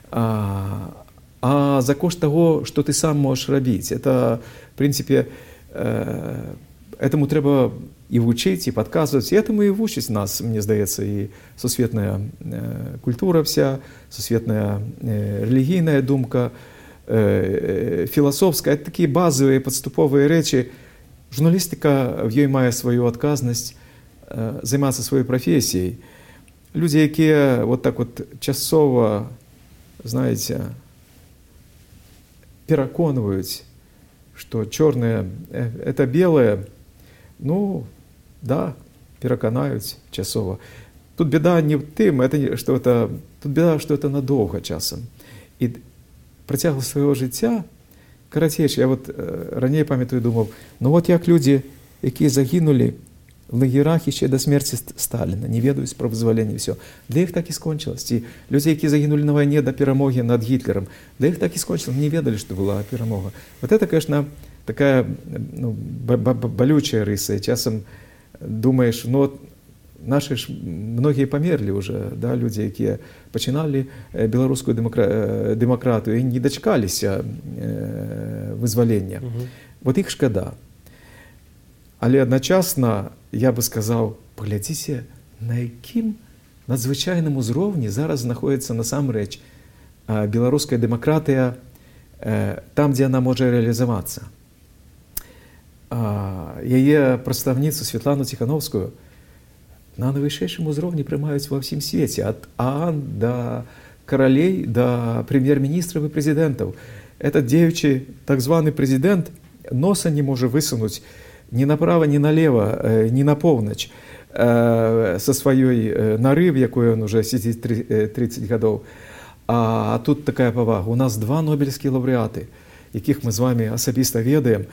а за кошт таго, што ты сам можаш рабіць. Это, в принципе, этому трэба і вучыць, і падказваць. І этому і вучыць нас, мне здаецца, і сусветная культура вся, сусветная рэлігійная думка, філасофская. Это такія базовыя падступовыя рэчы. Журналістыка в ёй мае сваю адказнасць займацца сваёй прафесіяй. Людзі, якія вот так вот часова, знаеце, пераконваюць, што чорнае – это белае, ну, да, пераканаюць часова. Тут беда не в тым, тут беда, што это надоўга часам. І працягласць свайго жыцця, карацейш, я вот раней памятаю, думаў, ну вот як людзі, якія загінулі в лагерах яшчэ да смерці Сталіна, не ведаюць пра вызваленне, все. Для іх так і скончылась. Ці людзі, якія загінулі на вайне да перамогі над Гітлерам, для іх так і скончылась, не ведалі, што была перамога. Вот это, конечно, такая болючая рыса. І часам думаеш, ну вот наши ж многія памерлі ўжо, да, людзі, якія пачыналі беларускую дэмакратыю і не дачкаліся вызвалення. Вот іх шкада. Але адначасна я бы сказаў, паглядзіце, на якім надзвычайным узроўні зараз знаходзіцца насамрэч беларуская дэмакратыя там, дзе яна можа рэалізавацца. Яе прадстаўніцу Святлану Ціхановскую на найвышэйшым узроўні прымаюць ва ўсім свеце, ад ААН да каралей, да прэм'ер-міністраў і прэзідэнтаў. Этот дзеючы так званы прэзідэнт носа не можа высунуць ни направо, ни налево, ни на поўнач со сваёй нары, в якой он уже сидит 30 гадоў. А тут такая павага. У нас 2 нобелевскія лаўрэаты, якіх мы з вами асабіста ведаем.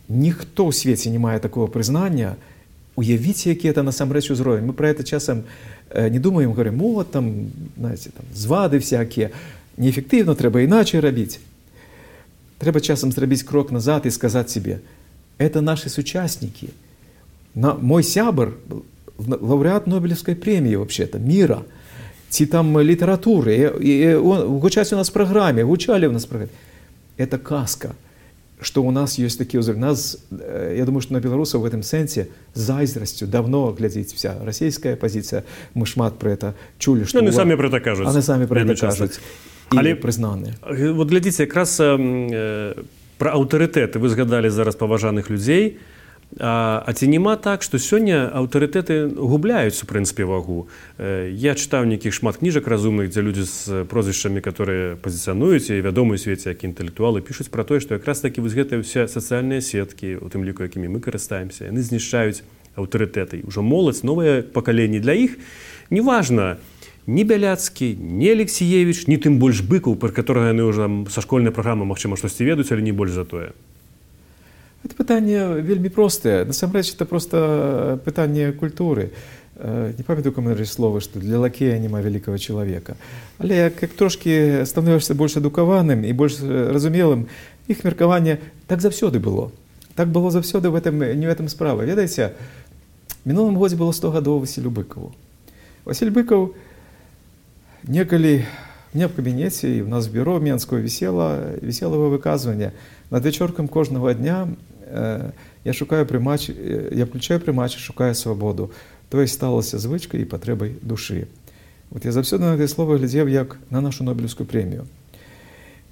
Ніхто ў свеце не мае такого прызнання. Уявіце, які это насамрэч узровень. Мы про это часам не думаем, говорим, вот там, знаете, там звады всякие. Неэффективно, трэба іначай рабіць. Трэба часам зрабіць крок назад і сказаць себе, это наши сучастники. Мой сябр, лауреат Нобелевской премии вообще-то, мира, ці там литературы, гучаць у нас в программе, гучали у нас в программе. Это казка, что у нас есть такие узоры. Нас, я думаю, что на белорусов в этом сенсе с зайздростью давно глядит вся российская позиция. Мы шмат про это чули. Что они сами про это кажут. Они сами про это кажут. І признаны. Вот глядите, якраз про аўтарытэты вы згадалі зараз паважаных людзей, а ці няма так, што сёння аўтарытэты губляюць у прынцыпе вагу. Я чытаў нейкіх шмат кніжак разумных, дзе людзі з прозвішчамі, которые пазіцыянуюць і вядомыя ў свеце як інтэлектуалы, пішуць пра тое, што якраз такі вось гэтыя ўсе сацыяльныя сеткі, у тым ліку якімі мы карыстаемся, яны знішчаюць аўтарытэты. Ужо моладзь, новае пакаленне для іх неважна, ни Бяляцкі, ни Алексеевич, ни тым больш Быкаў, пра которого яны ўжо са школьнай праграмы, магчыма, штосьці ведаюць, але не больш за тое. Это пытанне вельмі простае. Насамрэч, это просто пытанне культуры. Не памятаю, каму слово, што для лакея няма вялікага чалавека. Але як трошкі становішся больш адукаваным і больш разумелым, іх меркаванне так заўсёды было. Так было заўсёды, не в этом справа. Ведаеце, мінулым годзе было 100 гадоў Васілю Быкаву. Васіль Быкаў некалі мне в кабінеце і у нас в бюро Менского висело его выказванне. Над вечоркам кожного дня я включаю прымач і шукаю свабоду. То есть сталася звычкай і патрэбай душы. Вот я заўсёды на гэтае слово глядзеў як на нашу Нобелевскую премию.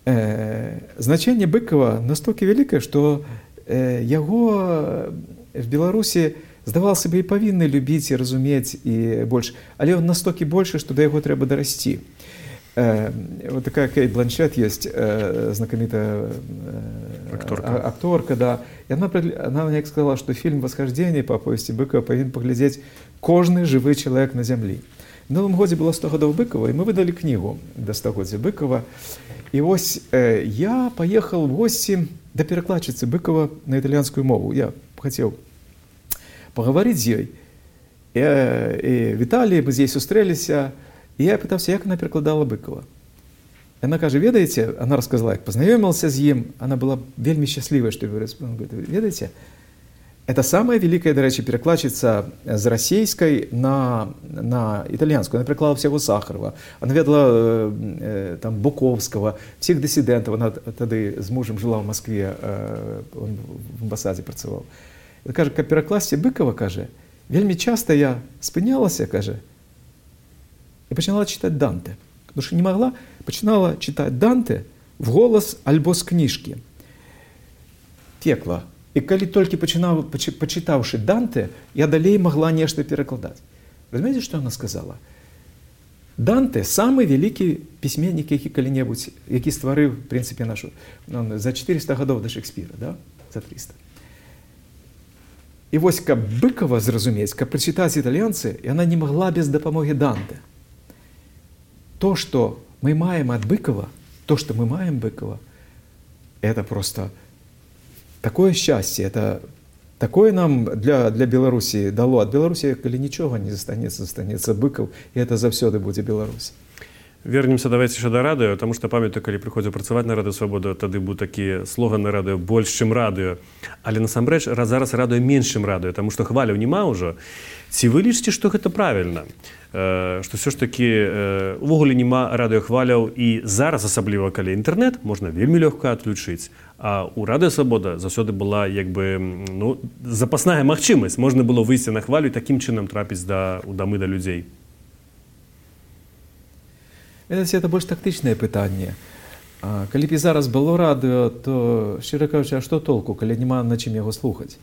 Значэнне Быкова настолькі вялікае, што яго в Беларусі здавалася сабе, і павінны любіць і разумець і больш. Але ён настолькі большы, што да яго трэба дарасці. Вот такая Кейт Бланшетт есть, знаменитая акторка, да. И она мне сказала, что фильм «Восхождение» по повести Быкова повинен поглядеть каждый живой человек на земле. В новом году было 100 годов Быкова, и мы выдали книгу до 100-годия Быкова. И ось я поехал в гости до перекладчицы Быкова на итальянскую мову. Я хотел поговорить с ней. И в Италии мы здесь устрелись, и я пытался, як она перекладала Быкова. Она каже, ведаете, она рассказала, як познайомился с ним, она была вельми счастлива, что он говорит, ведаете, это самая великая, до речі, перекладчица з російської на итальянскую. Она переклала всего Сахарова, она ведала там Буковского, всех диссидентов, она тогда с мужем жила в Москве, он в амбасаде працював. І каже, как перекласти Быкова, каже, вельми часто я спинялася, каже, и починала читать Данте. Потому что не могла, починала читать Данте в голос альбо з книжки. Текла. И коли только почитавши Данте, я далее могла нечто перекладать. Вы знаете, что она сказала? Данте – самый великий письменник, який коли-небудь, який створив, в принципе, нашу, за 400 годов до Шекспира, да? За 300. И вот как Быкова зразуметь, как прочитать итальянцы, и она не могла без допомоги Данте. То, что мы маем от Быкова, это просто такое счастье, это такое нам для Беларуси дало. От Беларуси, коли ничего не застанется Быков, и это завсёды будет Беларусь. Вернемся давайте ще до радыё, тому што памятаю, калі прыходзіў працаваць на Радыё Свабода, тады быў такі слоган на радыё больш, чым радыё. Але насамрэч зараз радыё менш, чым радыё, таму што хваляў няма ўжо. Ці вы лічыце, што гэта правільна? Што ўсё ж такі увогуле няма радыёхваляў і зараз, асабліва калі інтэрнэт, можна вельмі лёгка адключыць. А ў Радыё Свабода заўсёды была як бы запасная магчымасць. Можна было выйсці на хвалю і такім чынам трапіць у дамы да людзей. Это больш тактычнае пытанне. Калі б і зараз было радыё, то, шчыра кажучы, а што толку, калі няма на чым яго слухаць?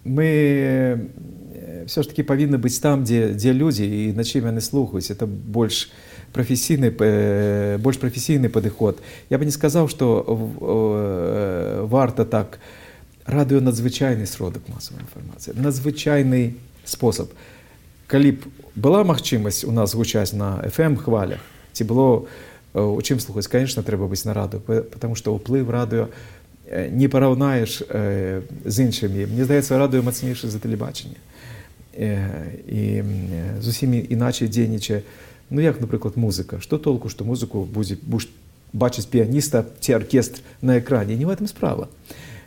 Мы все ж таки павінны быць там, дзе людзі і на чым яны слухаюць. Это больш прафесійны падыход. Я бы не сказаў, што варта так. Радыё надзвычайны сродак масавай інфармацыі, надзвычайны спосаб. Калі б была магчымасць у нас гучаць на FM-хвалях, ці было у чым слухаць, конечно, трэба быць на радыё, потому што ўплыў радыё не параўнаеш з іншымі. Мне здаецца, радыё мацнейшае за тэлебачанне. І зусім іначай дзейнічае. Ну, як, напрыклад, музыка. Што толку, што музыку будзеш бачыць піяніста ці аркестр на экране? Не в этом справа.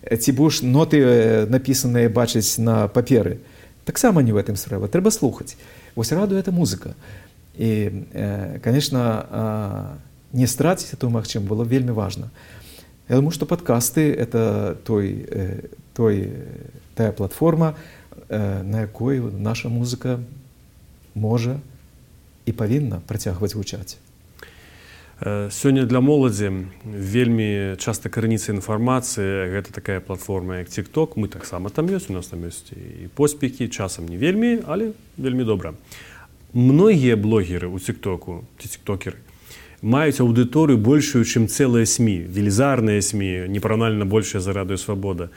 Ці будеш ноты напісаныя бачыць на паперы? Таксама не в этом справа. Трэба слухаць. Вось радыё – это музыка. І, конечно, не страціць эту магчымасць было вельмі важна. Я думаю, што падкасты – это тая платформа, на якой наша музыка можа і павінна працягваць гучаць. Сёння для моладзі вельмі часта карэніцца інфармацыі, гэта такая платформа, як TikTok. Мы таксама там ёсць, у нас там ёсць і поспехі, часам не вельмі, але вельмі добра. Многія блогеры ў TikToku, ці тиктокеры, маюць аўдыторыю большую, чым цэлыя СМІ, велізарныя СМІ, непараўнальна большая за Радыё Свабода.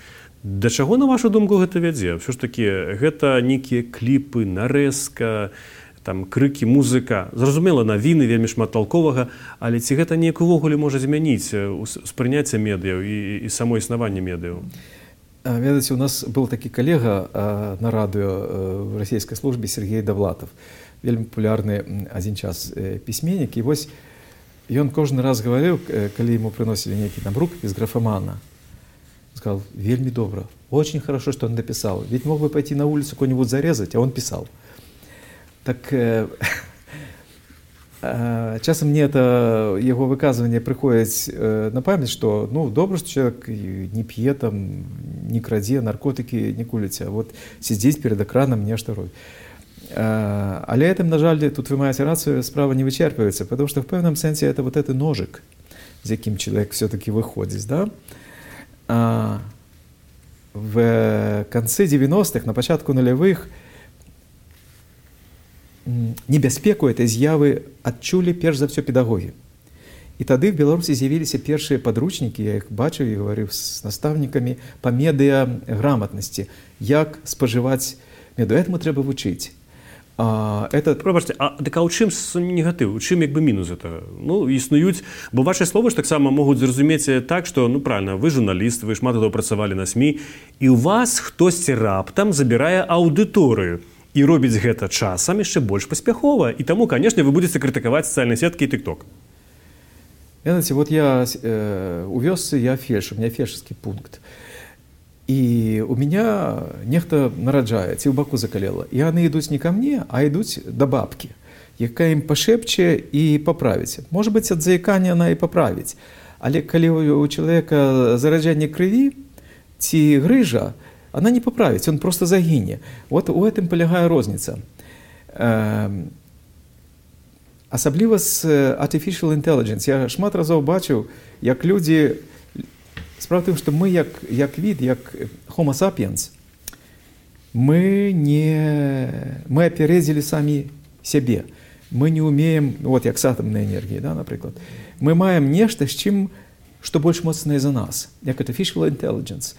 Да чаго, на вашу думку, гэта вядзе? Ўсё ж такі, гэта нейкія кліпы, нарэзка, там крыкі, музыка. Зразумела, навіны, вельмі шмат толковага, але ці гэта неяк увогуле можа змяніць успрыняцце медыяў і само існаванне медыяў? Ведаеце, у нас был такі калега на радыё в расійскай службе Сергей Довлатов, вельмі папулярны адзін час пісьменнік. І вось ён кожны раз гаварыў, калі ему прыносілі нейкі там рукапіс графамана, сказал, вельмі добра, очень хорошо, что он написал. Ведь мог бы пойти на улицу кого-нибудь зарезать, а он писал. Так часам мне это его выказывание приходит на память, что ну добро, что человек не п'е, там, не крадзе, наркотики не куліць, а вот сидзець перед экраном нешта робіць. Але этим, на жаль, тут вы маете рацию, справа не вычерпывается, потому что в певном сенсе это вот этот ножик, с яким человек все-таки выходит, да? В конце 90-х, на початку нулевых, небяспеку этой з'явы адчулі перш за все педагогі. І тады в Беларусі з'явіліся першыя падручнікі, я іх бачыў і гаварыў з настаўнікамі па медыаграматнасці, як спажываць медыа. Этаму трэба вучыць. Пробачце, так у чым негатыў, у чым як бы мінус этого? Ну, існуюць, бо ваши словы ж таксама могуць зразумець так, што, ну, правильно, вы журналіст, вы шмат гадоў працавалі на СМІ, і у вас хтосьці раптам забірае аўдыторыю і робіць гэта часам яшчэ больш паспяхова. І таму, канешне, вы будзеце крытыкаваць сацыяльныя сеткі і тык-ток. Знаете, вот я у вёсцы, я фельдшер, у меня фельдшерский пункт. И у меня нехта нараджае, ці ў баку закалела. І яны ідуць не ко мне, а ідуць да бабкі, якая ім пашэпче і паправіць. Можа быць, ад заікання она і паправіць. Але калі у чалавека зараджанне крыві ці грыжа, она не паправіць, он просто загіне. Вот у гэтым палягае розніца. Асабліва з artificial intelligence. Я шмат разоў бачыў, як людзі... Справа в тым, што мы як від, як Homo sapiens, мы апярэдзілі самі сябе. Мы не умеем, вот як з атамнай энергіяй, да, напрыклад. Мы маем нешта, з чым, што больш моцнае за нас, як artificial intelligence,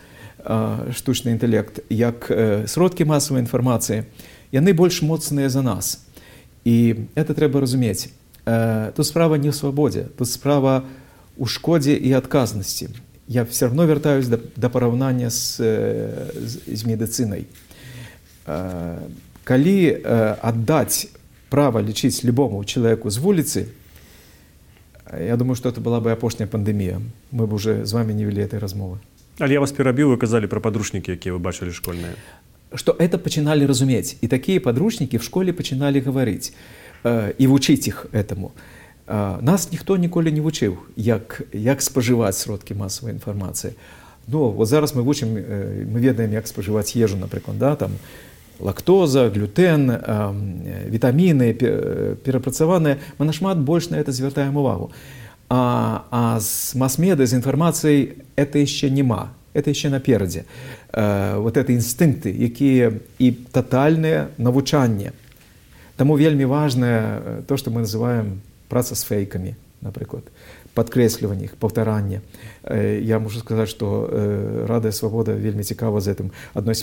штучны інтэлект, як сродкі масавай інфармацыі, яны больш моцныя за нас. І это трэба разумець. Тут справа не ў свабодзе, тут справа ў шкодзе і адказнасці. Я все равно вяртаюсь да параўнання з медыцынай. Калі аддаць права лічыць любому чалавеку з вуліцы, я думаю, што это была бы апошняя пандэмія. Мы б уже з вами не вели этой размовы. Але я вас перабіў, вы казалі пра падручнікі, якія вы бачылі школьныя. Што это пачыналі разумець. І такія падручнікі в школе пачыналі гаварыць і вучыць іх этаму. Нас ніхто ніколі не вучыў, як спажываць сродкі масавай інфармацыі. Ну, вот зараз мы вучым, мы ведаем, як спажываць ежу, напрыклад, да, там лактоза, глютен, вітаміны перапрацаваныя. Мы нашмат больш на это звяртаем увагу. А з мас-медыа, з інфармацыяй это яшчэ нема, это яшчэ наперадзе. Вот это інстынкты, якія і татальнае навучанне. Таму вельмі важнае то, што мы называем праца з фейкамі, напрыклад, падкрэсліванне іх, паўтаранне. Я можу сказаць, што Радыё Свабода вельмі цікава з гэтым. Адной з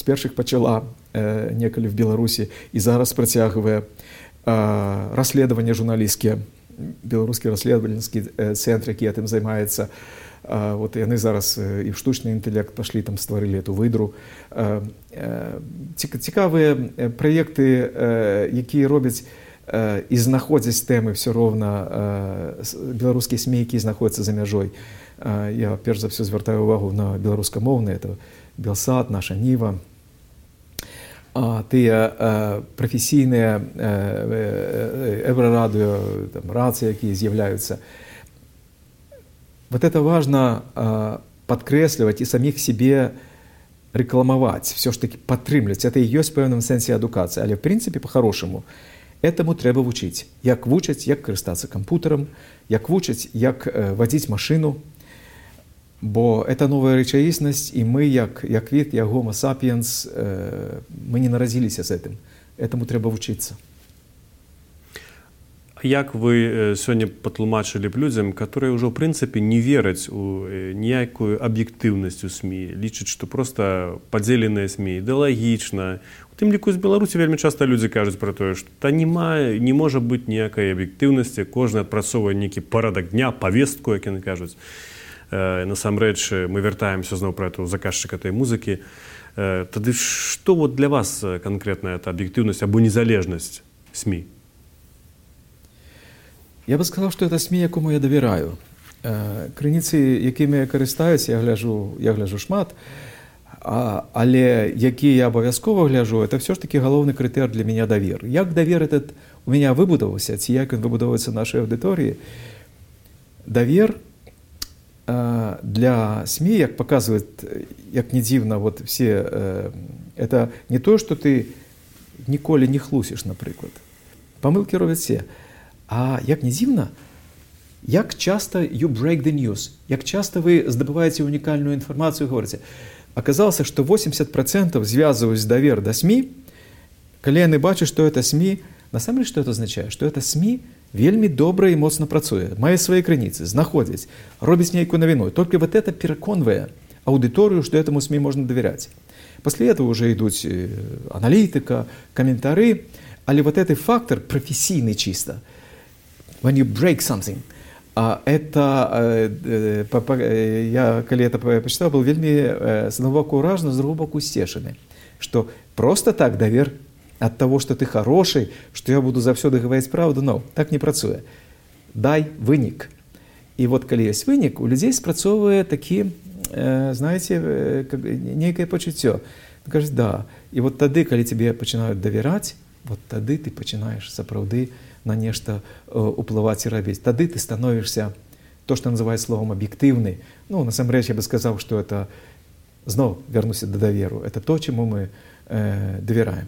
першых пачала некалі в Беларусі і зараз працягвае расследаванне журналісцкія, беларускі расследавальніцкі цэнтр, які гэтым займаецца. Вот яны зараз і в штучны інтэлект пашлі, там стварылі эту выдру. Цікавыя праекты, якія робяць і знаходзяць тэмы все роўна беларускія СМІ, якія знаходзяцца за мяжой. Я перш за все звяртаю увагу на беларускамоўныя, это Белсат, Наша Ніва. Тыя прафесійныя Еврорадыё, рацыі, якія з'яўляюцца. Вот это важно падкрэсліваць і саміх себе рэкламаваць, все ж таки падтрымліваць. Это і ёсць пэўным сэнсе адукацыя, але в прынцыпе па-харошаму этаму трэба вучыць. Як вучаць, як карыстацца кампутарам, як вучаць, як вадзіць машыну. Бо это новая рэчаіснасць, і мы, як від, як Homo sapiens, мы не нарадзіліся з гэтым. Этаму трэба вучыцца. Як вы сёння патлумачылі б людзям, которые ўжо, ў прынцыпе, не вераць у ніякую аб'ектыўнасць у СМІ, лічаць, што проста падзеленыя СМІ ідэалагічна. У тым ліку з Беларусі вельмі часта людзі кажуць пра тое, што не можа быць ніякай аб'ектыўнасці, кожны адпрацоўвае нейкі парадак дня, павестку, як яны кажуць. Насамрэч, мы вяртаемся зноў пра эту заказчыка этой музыкі. Тады што вот для вас канкрэтна эта аб'ектыўнасць або незалежнасць СМІ? Я бы сказал, что это СМІ, якому я давяраю. Крыніцы, якімі я карыстаюсь, я гляжу шмат, але які я абавязкова гляжу, это все ж таки галоўны крытэр для меня давер. Як давер этот у меня выбудаваўся, ці як ён выбудоўваецца нашай аўдыторыі? Давер для СМІ, як показывает, як не дзіўна, вот все, это не то, что ты ніколі не хлусіш, напрыклад. Памылкі робяць все. А як не дзіўна, як часто you break the news, як часто вы здабываеце унікальную інфармацыю, говорите. Аказалася, што 80% звязваюць давер да СМІ, калі яны бачаць, што это СМІ Насамрэч, што это азначае? Што это СМІ вельмі добра і моцна працуе, мае свае крыніцы, знаходзіць, робіць нейкую навіну. Толькі вот это пераконвае аудыторыю, што этому СМІ можна давяряць. Пасля этого уже ідуць аналітыка, каментары, але вот этот фактор професійны чисто, when you break something, это, я, калі это почитал, был вельмі с одного боку уражен, с другого боку сцешаны, что просто так давер от того, что ты хороший, что я буду заўсёды гаварыць правду, но так не працуе. Дай вынік. І вот калі ёсць вынік, у людзей спрацоўвае такі, знаете, нейкае пачуццё. Кажуць, да. І вот тады, калі тебе пачынаюць давяраць, вот тады ты пачынаеш сапраўды на нешта уплываць і рабіць. Тады ты становішся, то, што называюць словом аб'ектыўны. Ну, насамрэч, я бы сказаў, што это, зноў вярнуся да даверу, это то, чаму мы давяраем.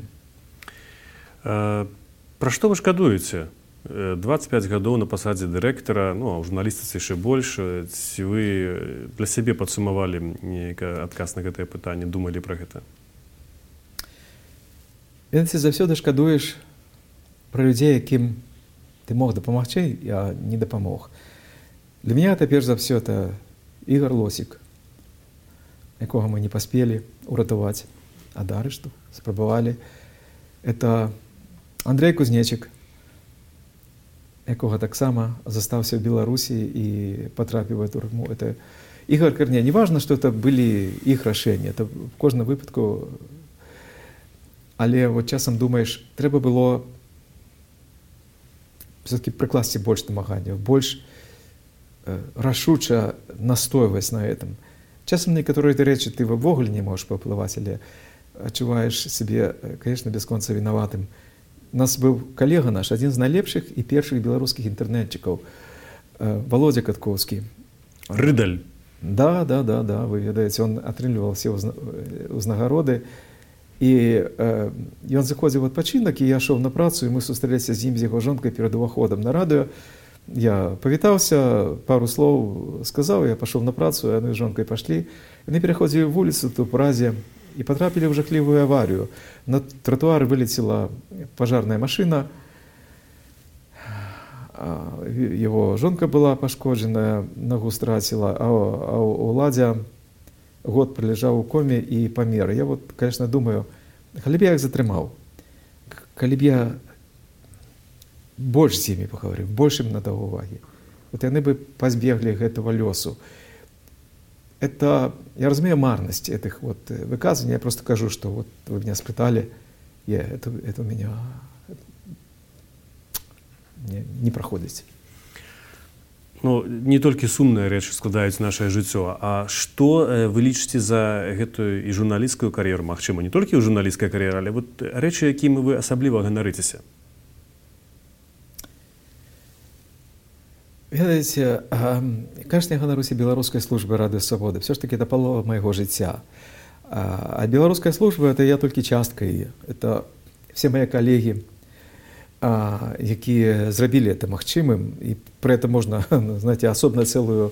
Пра што вы шкадуеце? 25 гадоў на пасадзе дырэктара, ну, а ў журналістыцы яшчэ больш. Ці вы для сябе падсумавалі нейкі адказ на гэтае пытанне, думалі пра гэта? Ведаеце, заўсёды шкадуеш пра людзей, якім ты мог дапамагчы, я не дапамог. Для мяне это, перш за ўсё, это Ігор Лосік, якога мы не паспелі ўратаваць ад арышту, спрабавалі. Это Андрей Кузнечык, якога таксама застаўся ў Беларусі і патрапіў у турму. Это Ігор Карне. Не важно, што это былі іх рашэнні, это в кожным выпадку. Але вот часам думаеш, трэба было все-таки прыкласці больш намаганняў, больш рашуча настойваць на этом. Часам некаторыя рэчы ты ўвогуле не можаш паўплываць, але адчуваеш сябе, конечно, бясконца вінаватым. У нас быў калега наш, адзін з найлепшых і першых беларускіх інтэрнетчыкаў, Володя Каткоўскі. Рыдаль. Да, вы ведаеце, он атрымліваў все ўзнагароды. І ён заходзіў у адпачынак, і я шоў на працу, і мы сустрэліся з ім, з яго жонкай перад уваходам на радыё. Я павітаўся, пару слоў сказаў, я пашоў на працу, яны з жонкай пашлі. Яны пераходзілі вуліцу тут у Празе і патрапілі ў жахлівую аварыю. На тротуар вылецела пажарная машына, его жонка была пашкоджаная, ногу страціла, а Уладзя год пролежаў у коме і памер. Я вот, конечно, думаю, калі б я іх затрымаў, калі б я больш з імі пагаварыў, больш ім надаў увагі, вот яны бы пазбеглі гэтага лёсу. Это, я разумею марнасць этих вот выказваний, я просто кажу, что вот вы меня спытали, это у меня не праходзіць. Ну, не толькі сумныя рэчы складаюць нашае жыццё, а што вы лічыце за гэтую і журналісцкую кар'еру, магчыма, не толькі ў журналісцкай кар'еры, але вот рэчы, якімі вы асабліва ганарыцеся? Ведаеце, конечно, я ганаруся беларускай службы Радыё Свабоды. Все ж таки это палова майго жыцця. А беларуская служба — это я толькі частка яе. Это все мои коллеги, якія зрабілі это магчымым. І про это можна, знаете, асобна цэлую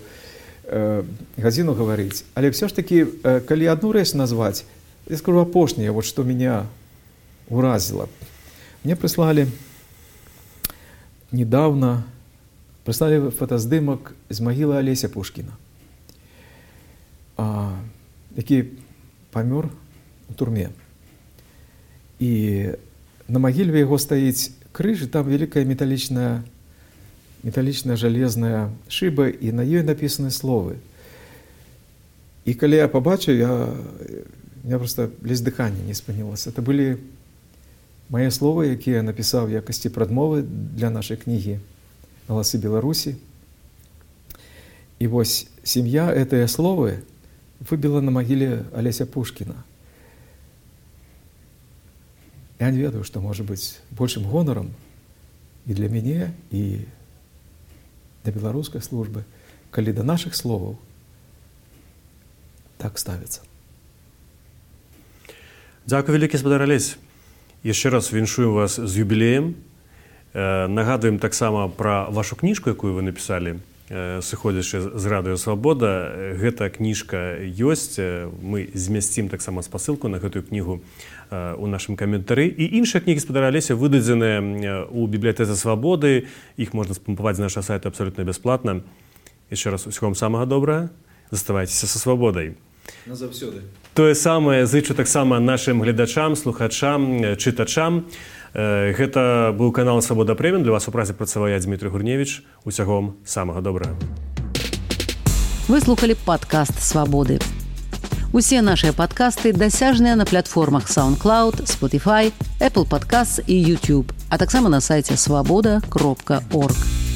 гадзіну гаварыць. Але все ж таки, калі одну рэч назваць, я скажу апошняе, вот что меня уразило. Мне прислали недавно фотаздымак з магілы Алеся Пушкіна, які памёр у турме. І на магіле яго стаіць крыж, і там вялікая металічная жалезная шыба, і на ёй напісаны словы. І калі я пабачыў, меня просто ледзь дыханне не спынілася. Это былі мае словы, якія я напісаў в якасці прадмовы для нашай кнігі «Галасы Беларусі». І вось сям'я гэтыя словы выбіла на магіле Алеся Пушкіна. Я не ведаю, што можа быць большым гонарам і для мяне, і для беларускай службы, калі да нашых словаў так ставіцца. Дзякуй вялікі, спадар Алесь. Яшчэ раз віншую вас з юбілеем. Нагадуем таксама пра вашу кніжку, якую вы напісалі. сыходзячы з радыё «Свабода». Гэта кніжка ёсць. Мы змясцім таксама спасылку на гэтую кнігу у нашым каментары. І іншыя кнігі спадара Алеся выдадзеныя ў бібліятэцы «Свабоды». Іх можна спампаваць з нашага сайта абсалютна бясплатна. Яшчэ раз усього вам самага добрага. Заставайцеся са свабодай. Назаўсёды. Тое самае зычу таксама нашым гледачам, слухачам, чытачам. Гэта быў канал «Свабода Преміум». Для вас у працы працаваў я, Дмітрый Гурневіч. Усяго вам самага добрага. Вы слухали падкаст «Свабоды». Усе нашыя падкасты дасяжныя на платформах SoundCloud, Spotify, Apple Podcasts і YouTube, а таксама на сайце swaboda.org.